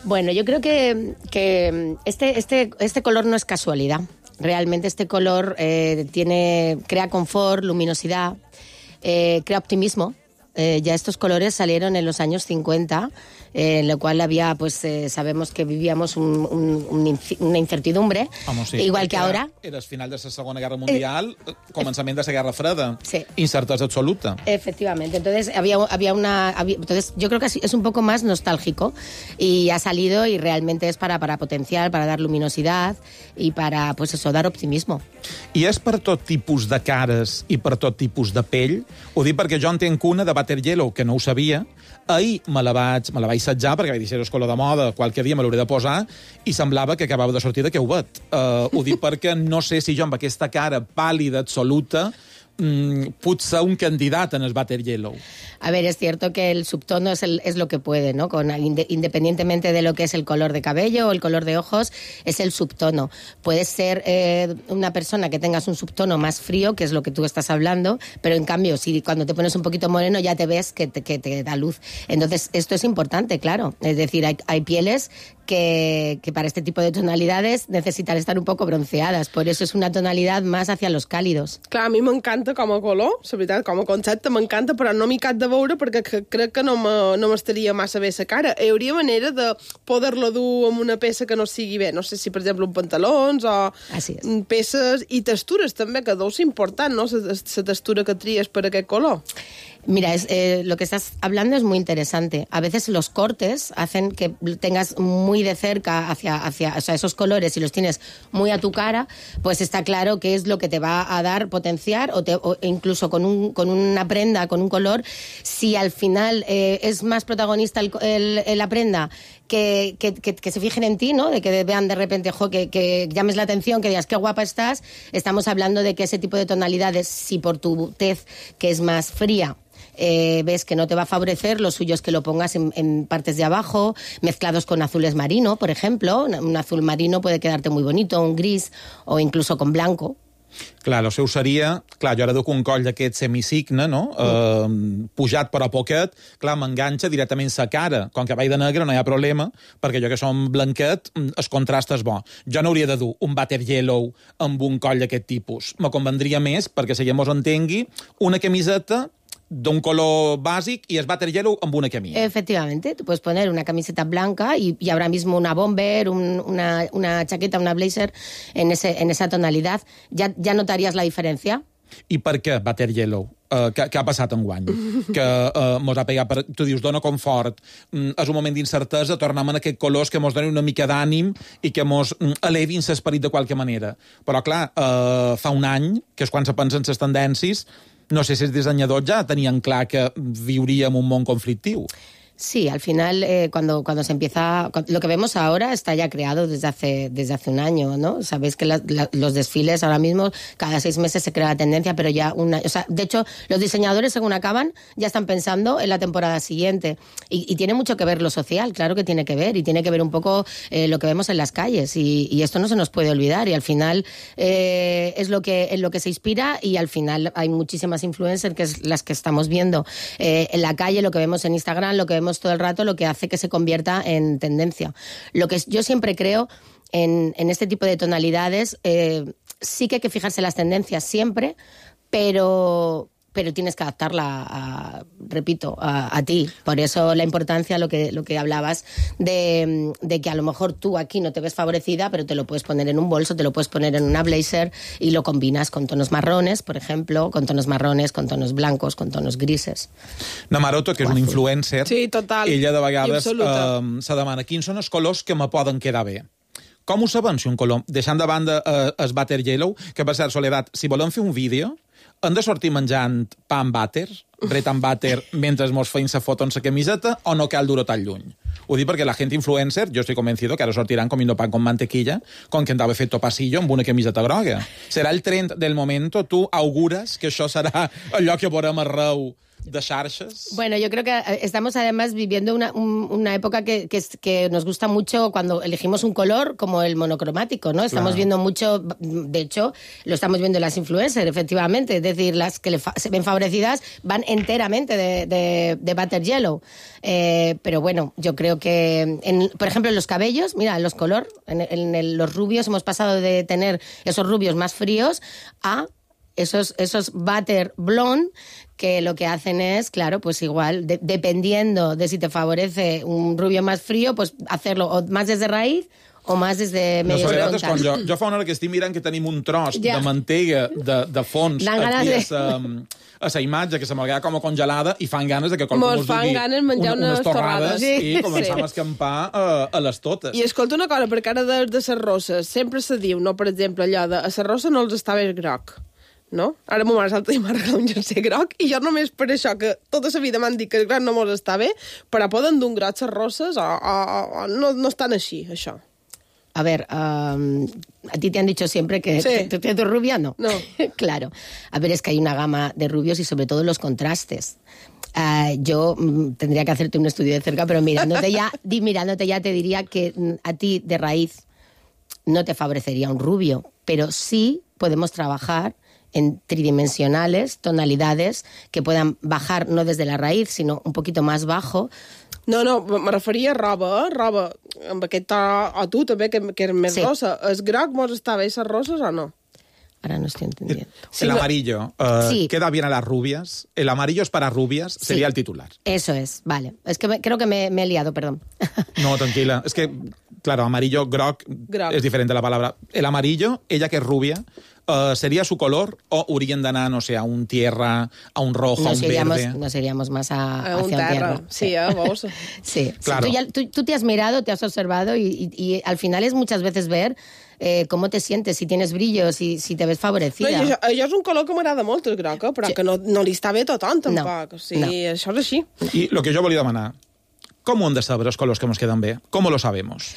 Bueno, yo creo que, que este, este, este color no es casualidad. Realmente este color eh, tiene, crea confort, luminosidad, eh, crea optimismo. Eh, ya estos colores salieron en los años cincuenta, eh, en lo cual había, pues, eh, sabemos que vivíamos un, un, un inci una incertidumbre, Home, sí. igual que era, ahora. Era el final de la Segona Guerra Mundial, eh, començament de la Guerra Freda. Sí. Incertesa absoluta. Efectivamente, entonces había, había una... Había, entonces yo creo que es un poco más nostálgico y ha salido y realmente es para, para potenciar, para dar luminosidad y para, pues eso, dar optimismo. I és per tot tipus de cares i per tot tipus de pell? Ho dic perquè jo entenc una de Butter Yellow, que no ho sabia. Ahir me la vaig, me la vaig assetjar, perquè vaig dir, si és color de moda, qualque dia me l'hauré de posar, i semblava que acabava de sortir de Queuet. Uh, ho dic perquè no sé si jo amb aquesta cara pàl·lida absoluta mm, potser un candidat en el Butter Yellow. A ver, es cierto que el subtono es, el, es lo que puede, ¿no? Con, independientemente de lo que es el color de cabello o el color de ojos, es el subtono. Puedes ser eh, una persona que tengas un subtono más frío, que es lo que tú estás hablando, pero en cambio, si cuando te pones un poquito moreno ya te ves que te, que te da luz. Entonces, esto es importante, claro. Es decir, hay, hay pieles que, que para este tipo de tonalidades necesitan estar un poco bronceadas. Por eso es una tonalidad más hacia los cálidos. Clar, a mi m'encanta com a color, la veritat, com a concepte m'encanta, però no m'hi cap de veure perquè crec que no m'estaria massa bé la cara. Hi hauria manera de poder-la dur amb una peça que no sigui bé. No sé si, per exemple, un pantalons o peces i textures també, que deu ser important, no?, la textura que tries per aquest color. Mira, es, eh, lo que estás hablando es muy interesante. A veces los cortes hacen que tengas muy de cerca hacia, hacia o sea, esos colores, si los tienes muy a tu cara, pues está claro qué es lo que te va a dar, potenciar, o, te, o incluso con, un, con una prenda, con un color, si al final eh, es más protagonista el, el, la prenda, que, que, que, que se fijen en ti, ¿no? De que vean de repente, jo, que, que llames la atención, que digas qué guapa estás. Estamos hablando de que ese tipo de tonalidades, si por tu tez, que es más fría, Eh, ves que no te va a favorecer, lo suyo es que lo pongas en, en partes de abajo, mezclados con azules marino, por ejemplo. Un azul marino puede quedarte muy bonito, un gris, o incluso con blanco. Clar, el seu seria... Clar, jo ara duc un coll d'aquest semicigne, no?, eh, pujat però poquet, clar, m'enganxa directament sa cara. Com que vaig de negre no hi ha problema, perquè jo que som blanquet, el contrast és bo. Jo no hauria de dur un Butter Yellow amb un coll d'aquest tipus. Me convendria més, perquè si ja mos entengui, una camiseta de un color básico y es Butter Yellow amb una camisa. Efectivamente, tú puedes poner una camiseta blanca y, y ahora mismo una bomber, un, una, una chaqueta, una blazer en, ese, en esa tonalidad. ¿Ya, ya notarías la diferència? I per què Butter Yellow? Uh, què, què ha passat enguany? Que uh, mos ha pegat, per, tu dius, dona confort, mm, és un moment d'incertesa, tornem a aquests colors que mos donen una mica d'ànim i que mos mm, elevin l'esperit de qualque manera. Però, clar, uh, fa un any, que és quan se pensen les tendències, no sé si els dissenyadors ja tenien clar que viuríem un món conflictiu. Sí, al final, eh, cuando, cuando se empieza... Lo que vemos ahora está ya creado desde hace, desde hace un año, ¿no? Sabéis que la, la, los desfiles ahora mismo, cada seis meses se crea la tendencia, pero ya una... O sea, de hecho, los diseñadores, según acaban, ya están pensando en la temporada siguiente. Y, y tiene mucho que ver lo social, claro que tiene que ver, y tiene que ver un poco eh, lo que vemos en las calles. Y, y esto no se nos puede olvidar. Y al final eh, es lo que, en lo que se inspira, y al final hay muchísimas influencers, que es las que estamos viendo eh, en la calle, lo que vemos en Instagram, lo que vemos todo el rato, lo que hace que se convierta en tendencia. Lo que yo siempre creo en, en este tipo de tonalidades, eh, sí que hay que fijarse en las tendencias siempre, pero... pero tienes que adaptarla, a, repito, a, a ti. Por eso la importancia, lo que, lo que hablabas, de, de que a lo mejor tú aquí no te ves favorecida, pero te lo puedes poner en un bolso, te lo puedes poner en una blazer y lo combinas con tonos marrones, por ejemplo, con tonos marrones, con tonos blancos, con tonos grises. Namaroto, que és una influencer, sí, total, ella de vegades eh, se demana quins són els colors que me poden quedar bé. Com ho sabem si un color, deixant de banda eh, el Butter Yellow, que per cert, Soledat, si volem fer un vídeo, hem de sortir menjant pa amb butter, bret amb butter, mentre mos feim la foto en la camiseta, o no cal dur-ho tan lluny? Ho dic perquè la gent influencer, jo estic convencido que ara sortiran comiendo pan con mantequilla, con que andava fet topasillo amb una camiseta groga. Serà el trend del momento? Tu augures que això serà allò que veurem arreu de xarxes? Bueno, yo creo que estamos además viviendo una, un, una época que, que, que nos gusta mucho cuando elegimos un color como el monocromático, ¿no? Estamos claro. viendo mucho, de hecho, lo estamos viendo en las influencers, efectivamente, es decir, las que le fa se ven favorecidas van enteramente de, de, de Butter Yellow. Eh, pero bueno, yo creo que, en, por ejemplo, en los cabellos, mira, los color, en, en el, los rubios hemos pasado de tener esos rubios más fríos a esos, esos butter blonde, que lo que hacen es, claro, pues igual, de, dependiendo de si te favorece un rubio más frío, pues hacerlo o más desde raïz o más desde medio no, frontal. Quan jo, jo fa una hora que estic mirant que tenim un tros ja. de mantega de, de fons aquí de... a sa, a sa imatge, que se m'ha quedat com a congelada, i fan ganes de que qualcú mos fan ganes menjar un, unes torrades sí. i començam sí. a escampar a, a les totes. I escolta una cosa, perquè ara de, de les rosses sempre se diu, no, per exemple, allò de a les rosses no els està bé groc, no? Ara ma mare salta i m'ha regalat un jersei groc i jo només per això, que tota la vida m'han dit que el groc no mos està bé, però poden dur un groc les rosses o, o, o no, no estan així, això. A ver, um, a ti te han dicho siempre que Sí. tú tienes rubia, no. No. Claro. A ver, es que hay una gama de rubios y sobre todo los contrastes. Uh, yo mm, tendría que hacerte un estudio de cerca, pero mirándote ya, di, mirándote ya te diría que mm, a ti de raíz no te favorecería un rubio, pero sí podemos trabajar en tridimensionales, tonalidades que puedan bajar no desde la raíz, sino un poquito más bajo. No, no, me referia a roba, eh? Roba amb aquest to, o tu també, que, que eres més Sí. rossa. El groc mos està bé, les rosses o no? Ahora no estoy entendiendo. El amarillo uh, Sí. queda bien a las rubias. El amarillo es para rubias, Sí. sería el titular. Eso es, vale. Es que me- creo que me, me he liado, perdón. No, tranquila. Es que, claro, amarillo, groc, Groc. es diferente la palabra. El amarillo, ella que es rubia, uh, ¿sería su color o haurien d'anar, no sé, a un tierra, a un rojo, a Nos un iríamos, verde? nos iríamos más a, A un hacia un terra. tierra. Sí, eh, veus? Sí, Claro. sí, tú, ya- tú- tú te has mirado, te has observado y, y- y al final es muchas veces ver eh, cómo te sientes, si tienes brillo, si, si te ves No, favorecida. i això, això és un color que m'agrada molt, el groc, eh? Però Sí. que no, no li està bé a tothom, No, tampoc. O sigui, no. això és així. I el que jo volia demanar, com ho hem de saber els colors que ens queden bé? Com lo sabemos?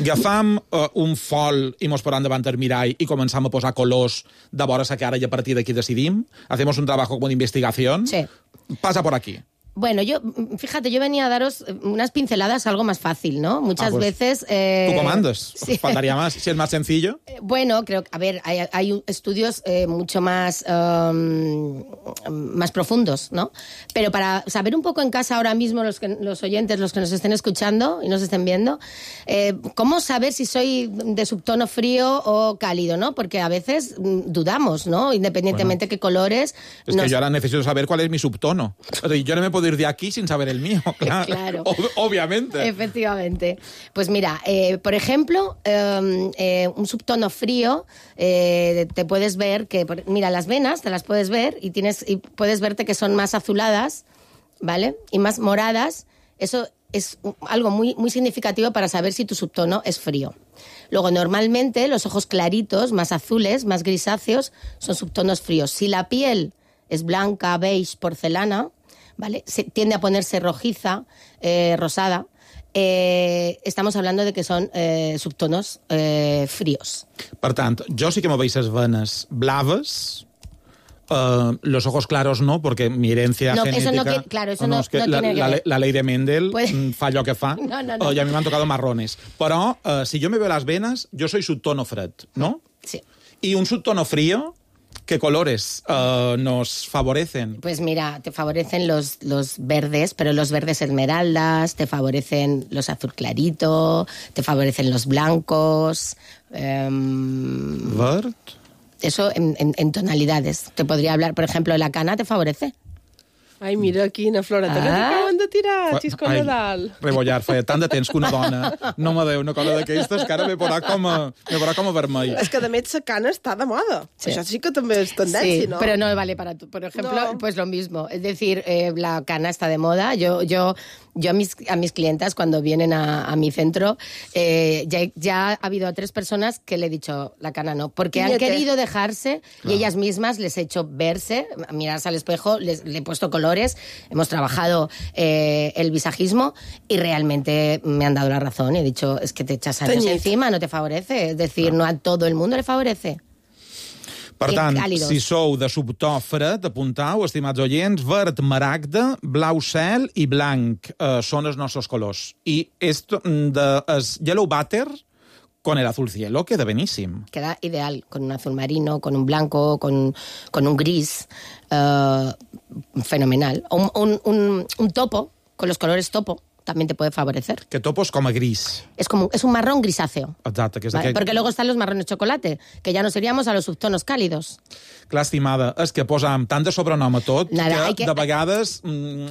Agafam uh, un fol i mos posam davant el mirall i començam a posar colors de vora sa cara i a partir d'aquí decidim? Hacemos un trabajo como de investigación? Sí. Pasa por aquí. Bueno, yo, mm, fíjate, yo venía a daros unas pinceladas, algo más fácil, ¿no? Muchas Ah, pues, veces... eh, Tú comandas. sí. Faltaría más. Si es más sencillo. Bueno, creo que, a ver, hay, hay un- estudios eh, mucho más, um, más profundos, ¿no? Pero para saber un poco en casa ahora mismo, los, que, los oyentes, los que nos estén escuchando y nos estén viendo, eh, ¿cómo saber si soy de subtono frío o cálido, no? Porque a veces mm, dudamos, ¿no? Independientemente qué colores... Es nos- que yo ahora necesito saber cuál es mi subtono. O sea, yo no me puedo ir de aquí sin saber el mío, claro. Claro. Ob- obviamente. Efectivamente. Pues mira, eh, por ejemplo, eh, eh, un subtono frío, eh, te puedes ver que, por- mira, las venas te las puedes ver y tienes y puedes verte que son más azuladas, ¿vale? Y más moradas. Eso es u- algo muy, muy significativo para saber si tu subtono es frío. Luego, normalmente, los ojos claritos, más azules, más grisáceos, son subtonos fríos. Si la piel es blanca, beige, porcelana, ¿vale? Se, tiende a ponerse rojiza, eh, rosada. Eh, estamos hablando de que son eh, subtonos eh, fríos. Per tant, jo sí que me veis les venes blaves, uh, los ojos claros no, porque mi herencia No, eso genética... no que- claro, eso no, no- es que no la, tiene que la, ver. la ley de Mendel Puede- mm, fa allò que fa, No, no, no. uh, y a mí me han tocado marrones. Però, uh, si yo me veo las venas, yo soy subtono fred, ¿no? Sí. Y un subtono frío, ¿qué colores uh, nos favorecen? Pues mira, te favorecen los, los verdes, pero los verdes esmeraldas, te favorecen los azul clarito, te favorecen los blancos. em, Verd? eso en, en- en tonalidades. Te podría hablar, por ejemplo, la cana te favorece. Ai, mira, quina floreta, que Ah. t'acaben de tirar, Fa- xisco ai, Nadal. Rebollar, feia tant de temps que una dona no me deu una cosa d'aquestes que ara me veurà com a, me veurà com a vermell. És que, de més, la cana està de moda. Sí. Això sí que també és tendència, Sí, no? pero no vale para tú. Por ejemplo, No. pues lo mismo. Es decir, eh, la cana está de moda. Yo, yo, yo a mis, a mis clientas, cuando vienen a, a mi centro, eh, ya, ya ha habido a tres personas que le he dicho la cana no, porque han Fíjate. querido dejarse y ellas mismas les he hecho verse, mirarse al espejo, les, le he puesto colores, hemos trabajado eh, el visajismo y realmente me han dado la razón y he dicho, es que te echas años Teñit. encima, no te favorece. Es decir, no a todo el mundo le favorece. Per I tant, càlidos. si sou de subtò fred, apuntau, estimats oients, verd, maragda, blau cel i blanc eh, són els nostres colors. I esto, mm, de, es yellow butter con el azul cielo queda beníssim. Queda ideal, con un azul marino, con un blanco, con, con un gris, eh, fenomenal. O Un, un, un, un topo, con los colores topo, también te puede favorecer. Que topos com a gris. Es como es un marrón grisáceo. Exacte, que és ¿vale? aquell... Porque luego están los marrones chocolate, que ya nos iríamos a los subtonos cálidos. Clar, estimada, és que posam tant de sobrenom a tot Nada, que, hay que- de vegades mm,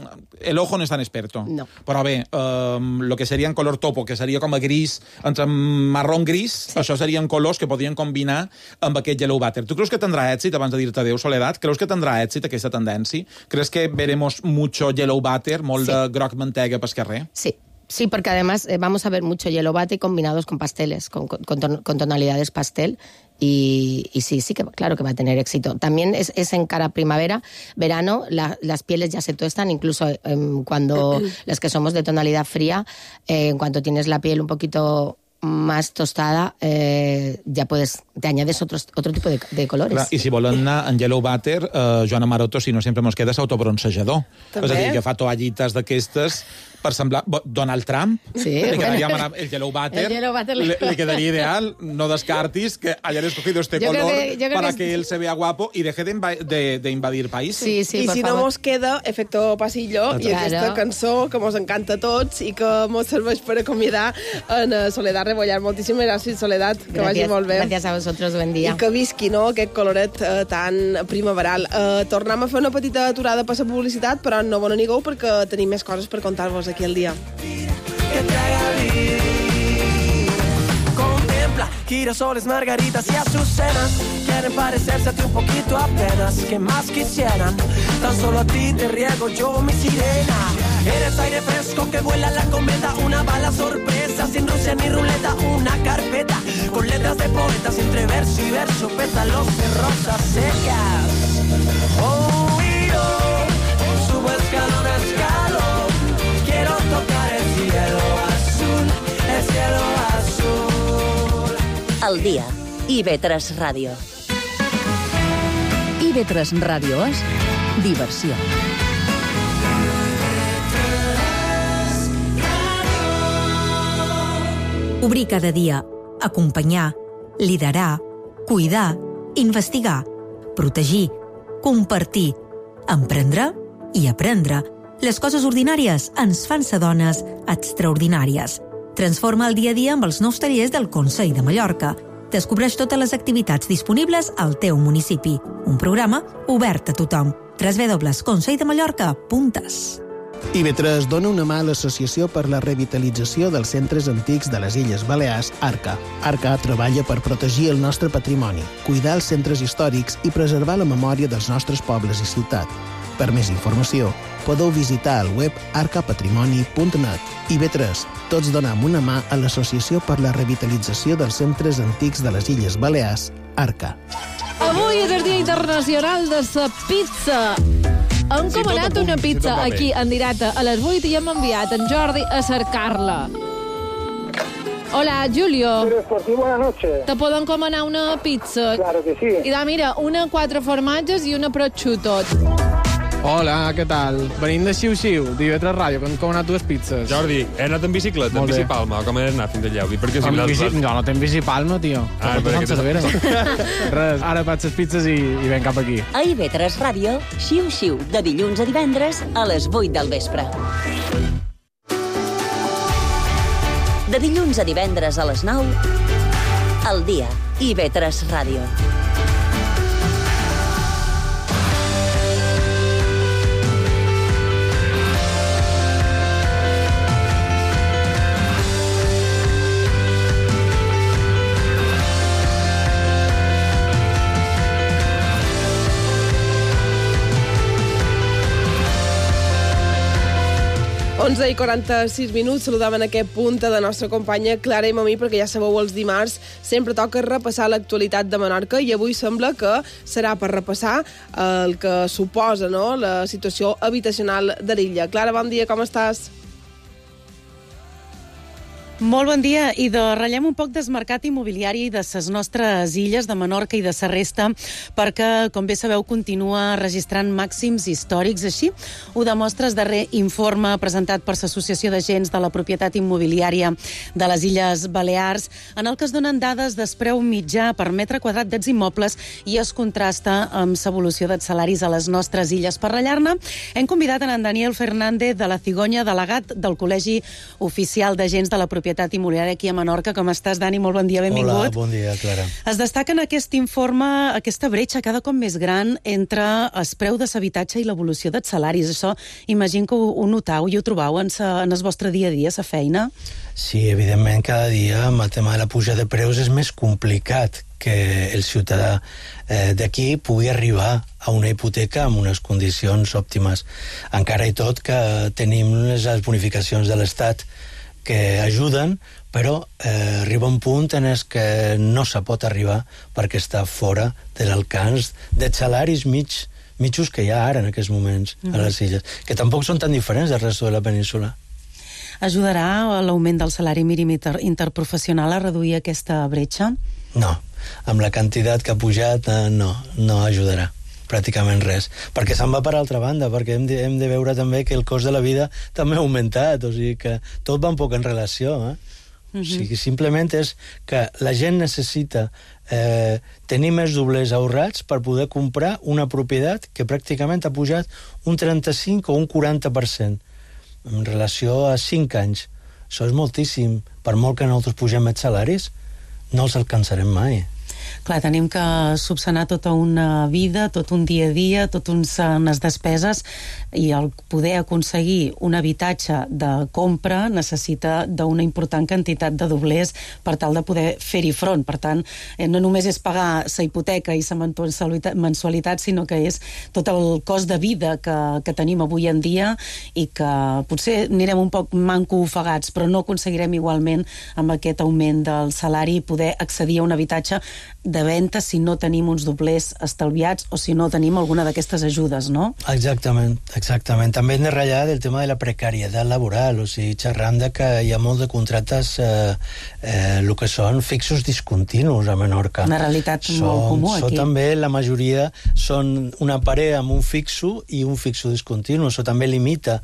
el ojo no és tan experto. No. Però bé, um, lo que seria en color topo, que seria com a gris, entre marrón gris, sí. Això serien colors que podrien combinar amb aquest yellow butter. Tu creus que tindrà èxit, abans de dir-te adéu, Soledat, creus que tindrà èxit aquesta tendència? Creus que veremos mucho yellow butter, molt Sí. de groc mantega pel carrer? Sí. Sí, porque además eh, vamos a ver mucho yellow butter combinados con pasteles, con, con, con ton- con tonalidades pastel. Y, y sí, sí que claro que va a tener éxito. También es, es en cara primavera, verano, la- las pieles ya se tuestan, incluso em, cuando las que somos de tonalidad fría, eh, en cuanto tienes la piel un poquito más tostada, eh, ya puedes, te añades otros, otro tipo de, de colores. Clar, i si volen anar en Yellow Butter, eh, Joana Maroto, si no sempre mos queda, és autobronzejador. També. És a dir, agafar toallites d'aquestes per semblar Donald Trump, sí, li quedaria bueno. el Yellow Butter, El Yellow Butter le, le quedaría ideal, no descartis que hayan escogido este yo color que, para que... que él se vea guapo y deje de, inva de, de invadir países. Sí, sí, I por si favor. no mos queda Efecto Pasillo Exacte. i aquesta Claro. cançó que mos encanta a tots i que mos serveix per acomiadar en uh, Soledad Rebollar. Moltíssimes gràcies, Soledad, que Gracias, vagi molt bé. Gracias a vosotros, buen día. I que visqui, no?, aquest coloret uh, tan primaveral. Uh, tornem a fer una petita aturada per la publicitat, però no vos n'anigueu perquè tenim més coses per contar-vos aquí al dia. Que te haga vivir. Contempla girasoles, margaritas y azucenas. Quieren parecerse a ti un poquito apenas. Que más quisieran. Tan solo a ti te riego yo, mi sirena. Eres aire fresco que vuela la cometa. Una bala sorpresa, sin Rusia ni ruleta. Una carpeta con letras de poetas entre verso y verso. Pétalos de rosas secas. Oh, y yo subo escalón a escalón. Quiero tocar el cielo azul, el cielo azul. El dia. I ve tres Ràdio. I ve tres Ràdio és diversió. Obrir cada dia, acompanyar, liderar, cuidar, investigar, protegir, compartir, emprendre i aprendre. Les coses ordinàries ens fan ser dones extraordinàries. Transforma el dia a dia amb els nous tallers del Consell de Mallorca. Descobreix totes les activitats disponibles al teu municipi. Un programa obert a tothom. w w w punt consell de mallorca punt es. I ve tres dona una mà a l'Associació per la Revitalització dels Centres Antics de les Illes Balears, ARCA. ARCA treballa per protegir el nostre patrimoni, cuidar els centres històrics i preservar la memòria dels nostres pobles i ciutat. Per més informació, podeu visitar el web arca patrimoni punt net. I ve tres, tots donem una mà a l'Associació per la Revitalització dels Centres Antics de les Illes Balears, ARCA. Avui és el Dia Internacional de la Pizza. Hem Si tot comanat apunt, una si pizza tot va bé. aquí en directe a les vuit i hem enviat en Jordi a cercar-la. Hola, Julio. Deportivo, buenas noches. Te puedo encomanar una pizza? Claro que sí. I da, mira, una quatre formatges i una prosciutto. Hola, què tal? Venim de Xiu-Xiu, d'I V tres Ràdio, que hem comanat dues pizzas. Jordi, he anat en bicicleta, en bicipalma, o com he anat fins allà? Per què si Amb les- bici... les- No, no tenc bicipalma, tio. Ah, Que per portes què en tens- Cervera. Res, ara faig les pizzas i, i ven cap aquí. A I V tres Ràdio, xiu-xiu, de dilluns a divendres a les vuit del vespre. De dilluns a divendres a les nou, al dia. I V tres Ràdio. onze i quaranta-sis minuts, saludam en aquest punt de la nostra companya Clara i Mamí, perquè ja sabeu, els dimarts sempre toca repassar l'actualitat de Menorca i avui sembla que serà per repassar el que suposa, no?, la situació habitacional de l'illa. Clara, bon dia, com estàs? Molt bon dia, i de ratllem un poc del mercat immobiliari de les nostres illes de Menorca i de la resta, perquè, com bé sabeu, continua registrant màxims històrics. Així ho demostra el darrer informe presentat per l'Associació d'Agents de la Propietat Immobiliària de les Illes Balears, en el que es donen dades del preu mitjà per metre quadrat dels immobles i es contrasta amb l'evolució dels salaris a les nostres illes. Per ratllar-ne, hem convidat en Daniel Fernández de la Cigonya, delegat del Col·legi Oficial d'Agents de la Propietat Immobiliària aquí a Menorca. Com estàs, Dani? Molt bon dia, benvingut. Hola, bon dia, Clara. Es destaca en aquest informe aquesta bretxa cada cop més gran entre el preu de l'habitatge i l'evolució dels salaris. Això, imagino que ho, ho notau i ho trobau en, sa, en el vostre dia a dia, la feina. Sí, evidentment, cada dia amb el tema de la puja de preus és més complicat que el ciutadà eh, d'aquí pugui arribar a una hipoteca amb unes condicions òptimes. Encara i tot que tenim les bonificacions de l'Estat que ajuden, però eh, arriba un punt en el que no se pot arribar perquè està fora de l'alcance dels salaris mig, mitjos que hi ha ara en aquests moments a les illes, que tampoc són tan diferents del resto de la península. ajudarà l'augment del salari mínim inter interprofessional a reduir aquesta bretxa? No, amb la quantitat que ha pujat eh, no, no ajudarà pràcticament res, perquè se'n va per altra banda, perquè hem de, hem de veure també que el cost de la vida també ha augmentat, o sigui que tot va un poc en relació, eh? Uh-huh. O sigui, simplement és que la gent necessita eh, tenir més doblers ahorrats per poder comprar una propietat que pràcticament ha pujat un trenta-cinc o un quaranta per cent en relació a cinc anys. Això és moltíssim. Per molt que nosaltres pugem els salaris, no els alcançarem mai. Clar, tenim que subsanar tota una vida, tot un dia a dia, tot uns, unes despeses, i el poder aconseguir un habitatge de compra necessita d'una important quantitat de doblers per tal de poder fer-hi front. Per tant, eh, no només és pagar la hipoteca i la mensualitat, sinó que és tot el cost de vida que, que tenim avui en dia i que potser anirem un poc manco ofegats, però no aconseguirem igualment amb aquest augment del salari poder accedir a un habitatge de venda si no tenim uns doblers estalviats o si no tenim alguna d'aquestes ajudes, no? Exactament, exactament. També hem de ratllar del tema de la precarietat laboral, o sigui, xerram de que hi ha molts de contractes eh, eh, el que són fixos discontinus a Menorca. Una realitat són, molt comú aquí. Això també, la majoria, són una parella amb un fixo i un fixo discontinu. Això també limita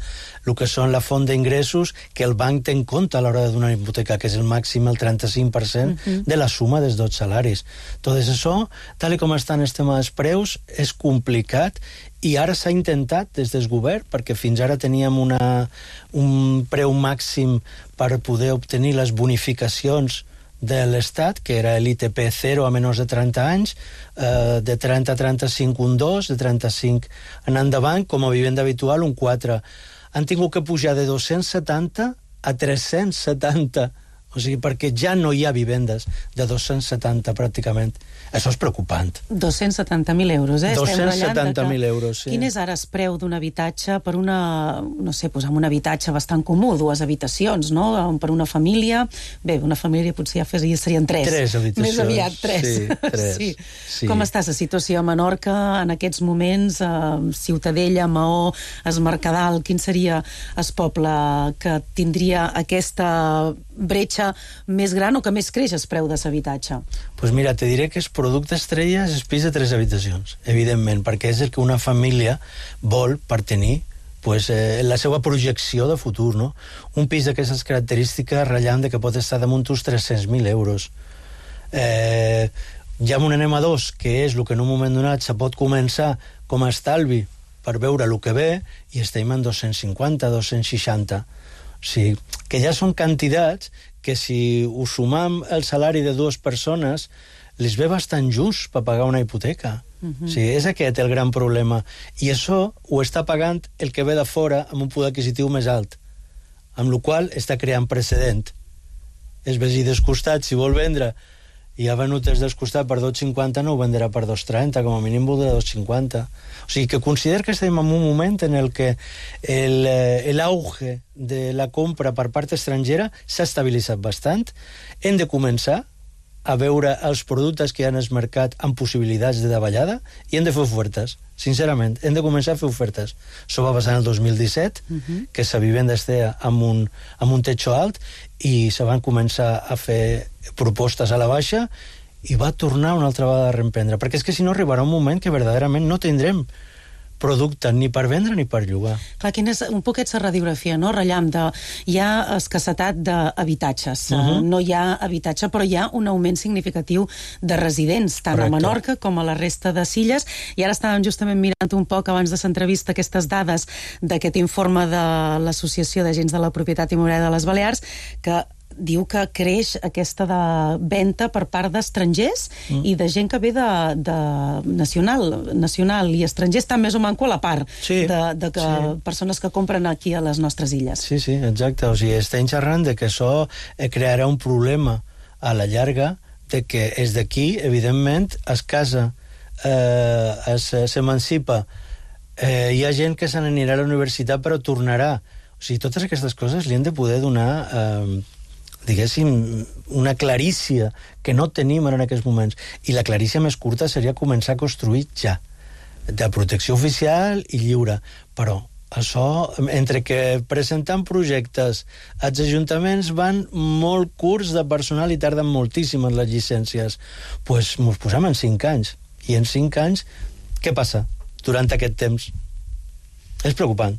el que són la font d'ingressos que el banc té en compte a l'hora de donar hipoteca, que és el màxim, el trenta-cinc per cent uh-huh. de la suma dels dos salaris. Tot això, tal com estan el tema dels preus, és complicat i ara s'ha intentat des del govern, perquè fins ara teníem una, un preu màxim per poder obtenir les bonificacions de l'Estat, que era l'I T P zero a menors de trenta anys, eh, de trenta a trenta-cinc un dos, de trenta-cinc en endavant, com a vivenda habitual un quatre. Han tingut que pujar de dos-cents setanta a tres-cents setanta, o sigui, perquè ja no hi ha vivendes de dos-cents setanta pràcticament. Això és preocupant. dos-cents setanta mil euros, eh? dos-cents setanta mil euros, sí. Quin és ara el preu d'un habitatge per una, no sé, doncs amb un habitatge bastant comú, dues habitacions, no? Per una família, bé, una família potser ja serien tres. Tres habitacions. Més aviat, tres. Sí, tres. Sí. Sí. Com està la situació a Menorca en aquests moments? Eh, Ciutadella, Maó, Es Mercadal, quin seria el poble que tindria aquesta bretxa més gran o que més creix el preu de l'habitatge? Doncs pues mira, te diré que el producte estrella és el pis de tres habitacions, evidentment, perquè és el que una família vol per tenir pues, eh, la seva projecció de futur, no? Un pis d'aquestes característiques ratllant de que pot estar damunt uns tres-cents mil euros. Eh, ja amb un anem a dos, que és el que en un moment donat se pot començar com a estalvi per veure el que ve, i estem en dos-cents cinquanta, dos-cents seixanta. O sigui, que ja són quantitats que si ho sumam el salari de dues persones les ve bastant just per pagar una hipoteca. Uh-huh. O sigui, és aquest el gran problema. I això ho està pagant el que ve de fora amb un poder adquisitiu més alt, amb la qual està creant precedent. És veí dels costats, si vol vendre i ha venut els dels costats per dos cinquanta, no ho vendrà per dos trenta, com a mínim voldrà dos cinquanta. O sigui, que considero que estem en un moment en el que l'auge de la compra per part estrangera s'ha estabilitzat bastant. Hem de començar a veure els productes que hi ha en el mercat amb possibilitats de davallada i hem de fer ofertes, sincerament, hem de començar a fer ofertes. Això va passar en el dos mil disset, uh-huh. que la vivenda estia amb un, amb un techo alt i se van començar a fer propostes a la baixa i va tornar una altra vegada a reemprendre, perquè és que si no arribarà un moment que verdaderament no tindrem producte ni per vendre ni per llogar. Clar, quina és un poquet la radiografia, no? Rellam de... Hi ha escassetat d'habitatges. Uh-huh. No hi ha habitatge, però hi ha un augment significatiu de residents, tant Correcte. A Menorca com a la resta de Illes. I ara estàvem justament mirant un poc abans de l'entrevista aquestes dades d'aquest informe de l'Associació d'Agents de la Propietat Immobiliària de les Balears, que diu que creix aquesta de venda per part d'estrangers mm. i de gent que ve de, de nacional, nacional i estrangers estan més o manco a la part sí, de, de que sí. persones que compren aquí a les nostres illes. Sí, sí, exacte. O sigui, estem xerrant de que això crearà un problema a la llarga, de que és d'aquí, evidentment, es casa, eh, s'emancipa, eh, hi ha gent que se n'anirà a la universitat però tornarà. O sigui, totes aquestes coses li han de poder donar... Eh, diguéssim, una clarícia que no tenim ara en aquests moments. I la clarícia més curta seria començar a construir ja, de protecció oficial i lliure. Però Això, entre que presentant projectes als ajuntaments van molt curts de personal i tarden moltíssim en les llicències, doncs pues, mos posem en cinc anys. I en cinc anys, què passa durant aquest temps? És preocupant,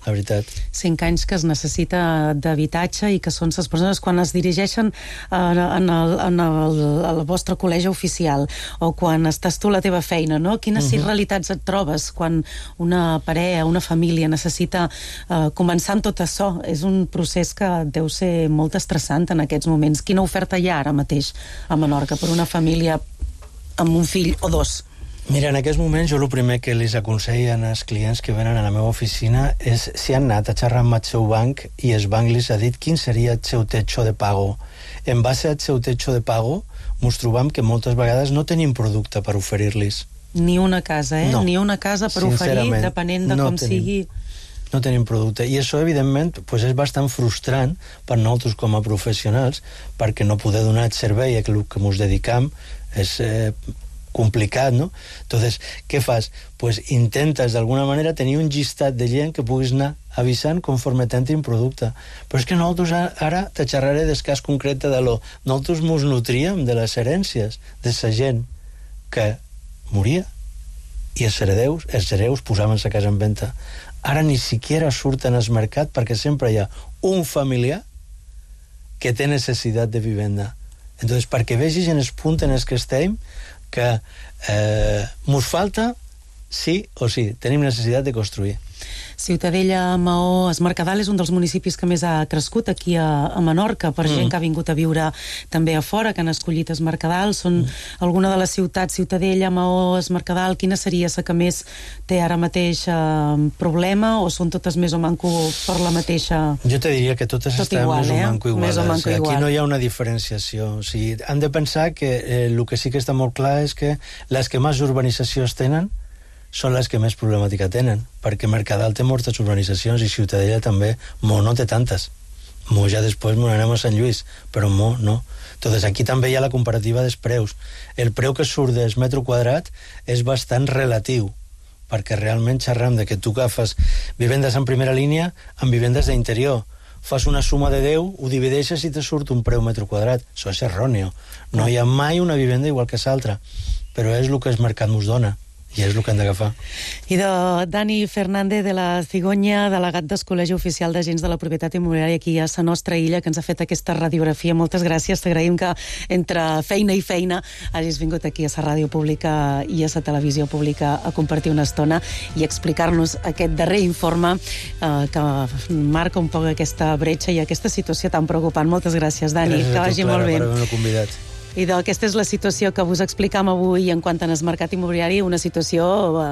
la veritat. Cinc anys que es necessita d'habitatge i que són les persones quan es dirigeixen en, en, el, en el, el vostre col·legi oficial o quan estàs tu a la teva feina, no? Quines uh-huh. realitats et trobes quan una parella, una família necessita uh, començar amb tot això? És un procés que deu ser molt estressant en aquests moments. Quina oferta hi ha ara mateix a Menorca per una família amb un fill o dos? Mira, en aquests moments jo el primer que els aconsellen als clients que venen a la meva oficina és si han anat a xerrar amb el seu banc i el banc els ha dit quin seria el seu techo de pago. En base al seu techo de pago, ens trobam que moltes vegades no tenim producte per oferir-los. Ni una casa, eh? No. Ni una casa per oferir, depenent de no com tenim. sigui... No tenim producte. I això, evidentment, pues és bastant frustrant per nosaltres com a professionals, perquè no poder donar el servei a el que ens dedicam és eh, complicat, no? Entonces, què fas? Pues intentes d'alguna manera tenir un llistat de gent que puguis anar avisant conforme t'entrin producte. Però és que nosaltres ara te xerraré del cas concret de lo. Nosaltres mos nutríem de les herències de la gent que moria i els heredeus, els hereus posaven la casa en venda. Ara ni siquiera surten al mercat perquè sempre hi ha un familiar que té necessitat de vivenda. Entonces, perquè vegis en el punt en el que estem, que eh, mos falta sí o sí, tenim necessitat de construir. Ciutadella, Maó, es Mercadal és un dels municipis que més ha crescut aquí a, a Menorca, per mm. gent que ha vingut a viure també a fora, que han escollit es Mercadal. Són mm. alguna de les ciutats, Ciutadella, Maó, es Mercadal, quina seria la que més té ara mateix eh, problema, o són totes més o manco per la mateixa... Jo te diria que totes Tot estan igual, més o eh? manco iguales. Més o manco Aquí igual. no hi ha una diferenciació. O sigui, han de pensar que eh, el que sí que està molt clar és que les que més urbanitzacions tenen són les que més problemàtica tenen, perquè Mercadal té moltes urbanitzacions i Ciutadella també. Mo no té tantes. Mo ja després m'ho anem a Sant Lluís, però Mo no. Entonces aquí també hi ha la comparativa dels preus. El preu que surt del metro quadrat és bastant relatiu, perquè realment xerram de que tu agafes vivendes en primera línia amb vivendes d'interior. Fas una suma de deu, ho divideixes i te surt un preu metro quadrat. Això és erròneo. No hi ha mai una vivenda igual que l'altra, però és el que el mercat ens dona. I és el que hem d'agafar. I de Dani Fernández de la Cigonya, delegat del Col·legi Oficial d'Agents de la Propietat Immobiliària aquí a la nostra illa, que ens ha fet aquesta radiografia. Moltes gràcies, t'agraïm que entre feina i feina hagis vingut aquí a la ràdio pública i a la televisió pública a compartir una estona i explicar-nos aquest darrer informe eh, que marca un poc aquesta bretxa i aquesta situació tan preocupant. Moltes gràcies, Dani, gràcies que vagi molt bé. Gràcies a tu, Clara, per haver-me convidat. I aquesta és la situació que vos explicam avui en quant al mercat immobiliari, una situació eh,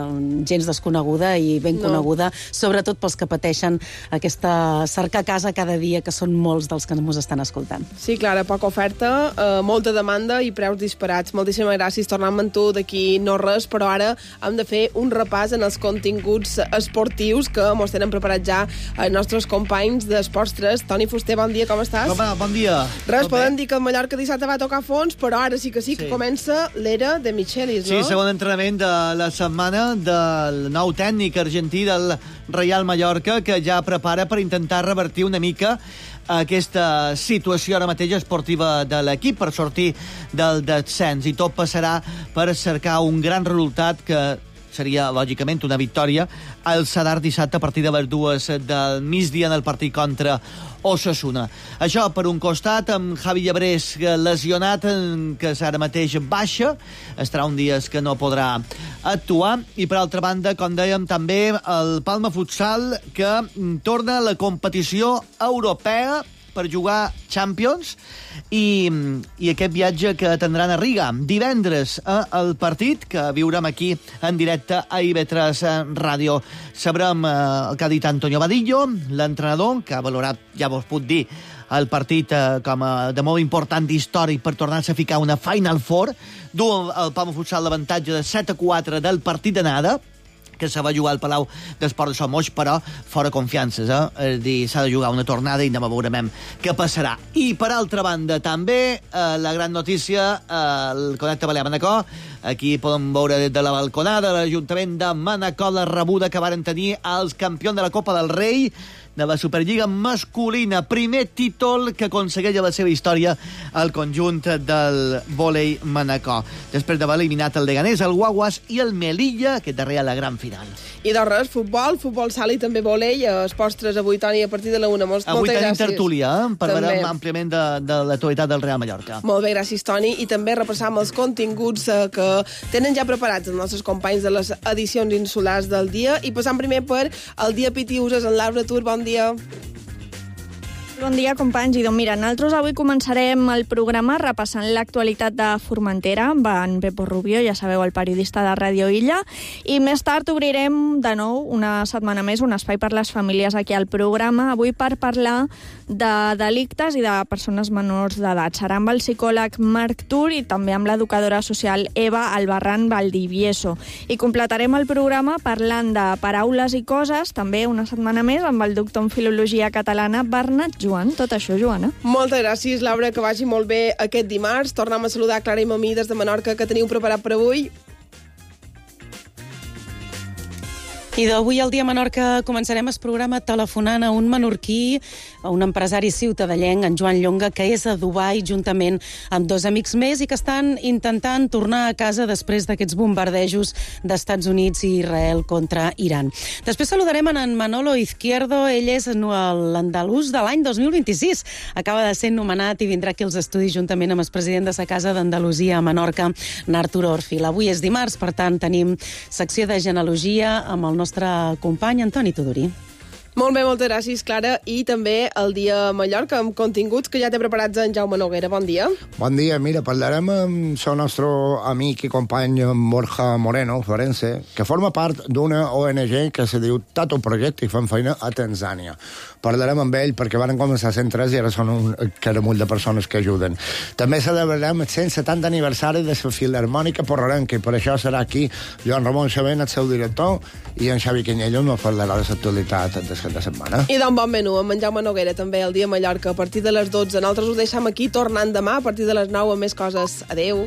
gens desconeguda i ben No. coneguda, sobretot pels que pateixen aquesta cercar casa cada dia, que són molts dels que ens estan escoltant. Sí, Clara, poca oferta, eh, molta demanda i preus disparats. Moltíssimes gràcies, tornem amb tu d'aquí no res, però ara hem de fer un repàs en els continguts esportius que mos tenen preparats ja els nostres companys d'Esports tres. Toni Fuster, bon dia, com estàs? Home, bon dia. Res, Tot podem bé? dir que el Mallorca dissabte va tocar fons, però ara sí que sí que Sí. comença l'era de Michelis, Sí, no? segon entrenament de la setmana del nou tècnic argentí del Real Mallorca, que ja prepara per intentar revertir una mica aquesta situació ara mateix esportiva de l'equip per sortir del descens, i tot passarà per cercar un gran resultat que seria, lògicament, una victòria al Sadar dissabte a partir de les dues del migdia en el partit contra Osasuna. Això per un costat, amb Javi Llebrés lesionat, que ara mateix baixa, estarà un dia que no podrà actuar, i per altra banda, com dèiem, també el Palma Futsal, que torna a la competició europea per jugar Champions, i, i aquest viatge que tindran a Riga divendres, eh, el partit que viurem aquí en directe a I V tres Ràdio. Sabrem eh, el que ha dit Antonio Vadillo, l'entrenador, que ha valorat, ja vos puc dir, el partit eh, com a de molt important històric per tornar-se a ficar una Final Four. Du el Palma Futsal l'avantatge de set a quatre del partit d'anada, que se va jugar al Palau d'Esport de Somos, però fora confiances, eh? És a dir, s'ha de jugar una tornada i anem a veure què passarà. I, per altra banda, també, eh, la gran notícia, eh, el Connecte Balear Manacor. Aquí podem veure des de la balconada de l'Ajuntament de Manacor la rebuda que varen tenir els campions de la Copa del Rei de la Superliga masculina. Primer títol que aconsegueix a la seva història el conjunt del vòlei Manacor. Després d'haver eliminat el Leganés, el Guaguas i el Melilla, que darrer a la gran final. I de res, futbol, futbol sala i també vòlei. Els postres avui, Toni, a partir de la una. Moltes avui tenim gràcies. tertúlia, eh? Parlarem àmpliament de, de l'actualitat del Real Mallorca. Molt bé, gràcies, Toni. I també repassam els continguts eh, que tenen ja preparats els nostres companys de les edicions insulars del dia. I passam primer per el dia Pitiuses en Laura Tur. Bon dia. Bon dia, companys. I doncs mira, nosaltres avui començarem el programa repassant l'actualitat de Formentera amb en Pepo Rubio, ja sabeu, el periodista de Ràdio Illa, i més tard obrirem de nou, una setmana més, un espai per les famílies aquí al programa, avui per parlar de delictes i de persones menors d'edat. Serà amb el psicòleg Marc Tur i també amb l'educadora social Eva Albarrán Valdivieso. I completarem el programa parlant de paraules i coses, també una setmana més, amb el doctor en Filologia Catalana Bernat Joan. Tot això, Joana. Moltes gràcies, Laura, que vagi molt bé aquest dimarts. Tornem a saludar Clara i Mamí des de Menorca, que teniu preparat per avui. I d'avui al Dia Menorca començarem el programa telefonant a un menorquí, a un empresari ciutadellenc, en Joan Llonga, que és a Dubai juntament amb dos amics més i que estan intentant tornar a casa després d'aquests bombardejos d'Estats Units i Israel contra Iran. Després saludarem en Manolo Izquierdo, ell és l'andalús de l'any dos mil vint-i-sis. Acaba de ser nomenat i vindrà aquí als estudis juntament amb el president de la Casa d'Andalusia a Menorca, Artur Orfil. Avui és dimarts, per tant, tenim secció de genealogia amb el nostre company Antoni Tudorí. Molt bé, moltes gràcies, Clara. I també el Dia Mallorca, amb continguts que ja té preparats en Jaume Noguera. Bon dia. Bon dia. Mira, parlarem amb el nostre amic i company Borja Moreno, forense, que forma part d'una O N G que se diu Tato Project i fan feina a Tanzània. Parlarem amb ell perquè van començar cent tres i ara són un caramull de persones que ajuden. També celebrarem el cent setanta aniversari de la Filharmònica Porrerenca i per això serà aquí Joan Ramon Xavent, el seu director, i en Xavi Canyello nos parlarà de l'actualitat de de setmana. I d'un bon menú, amb en Jaume Noguera, també el Dia Mallorca, a partir de les dotze. Nosaltres ho deixem aquí, tornant demà a partir de les nou amb més coses. Adeu.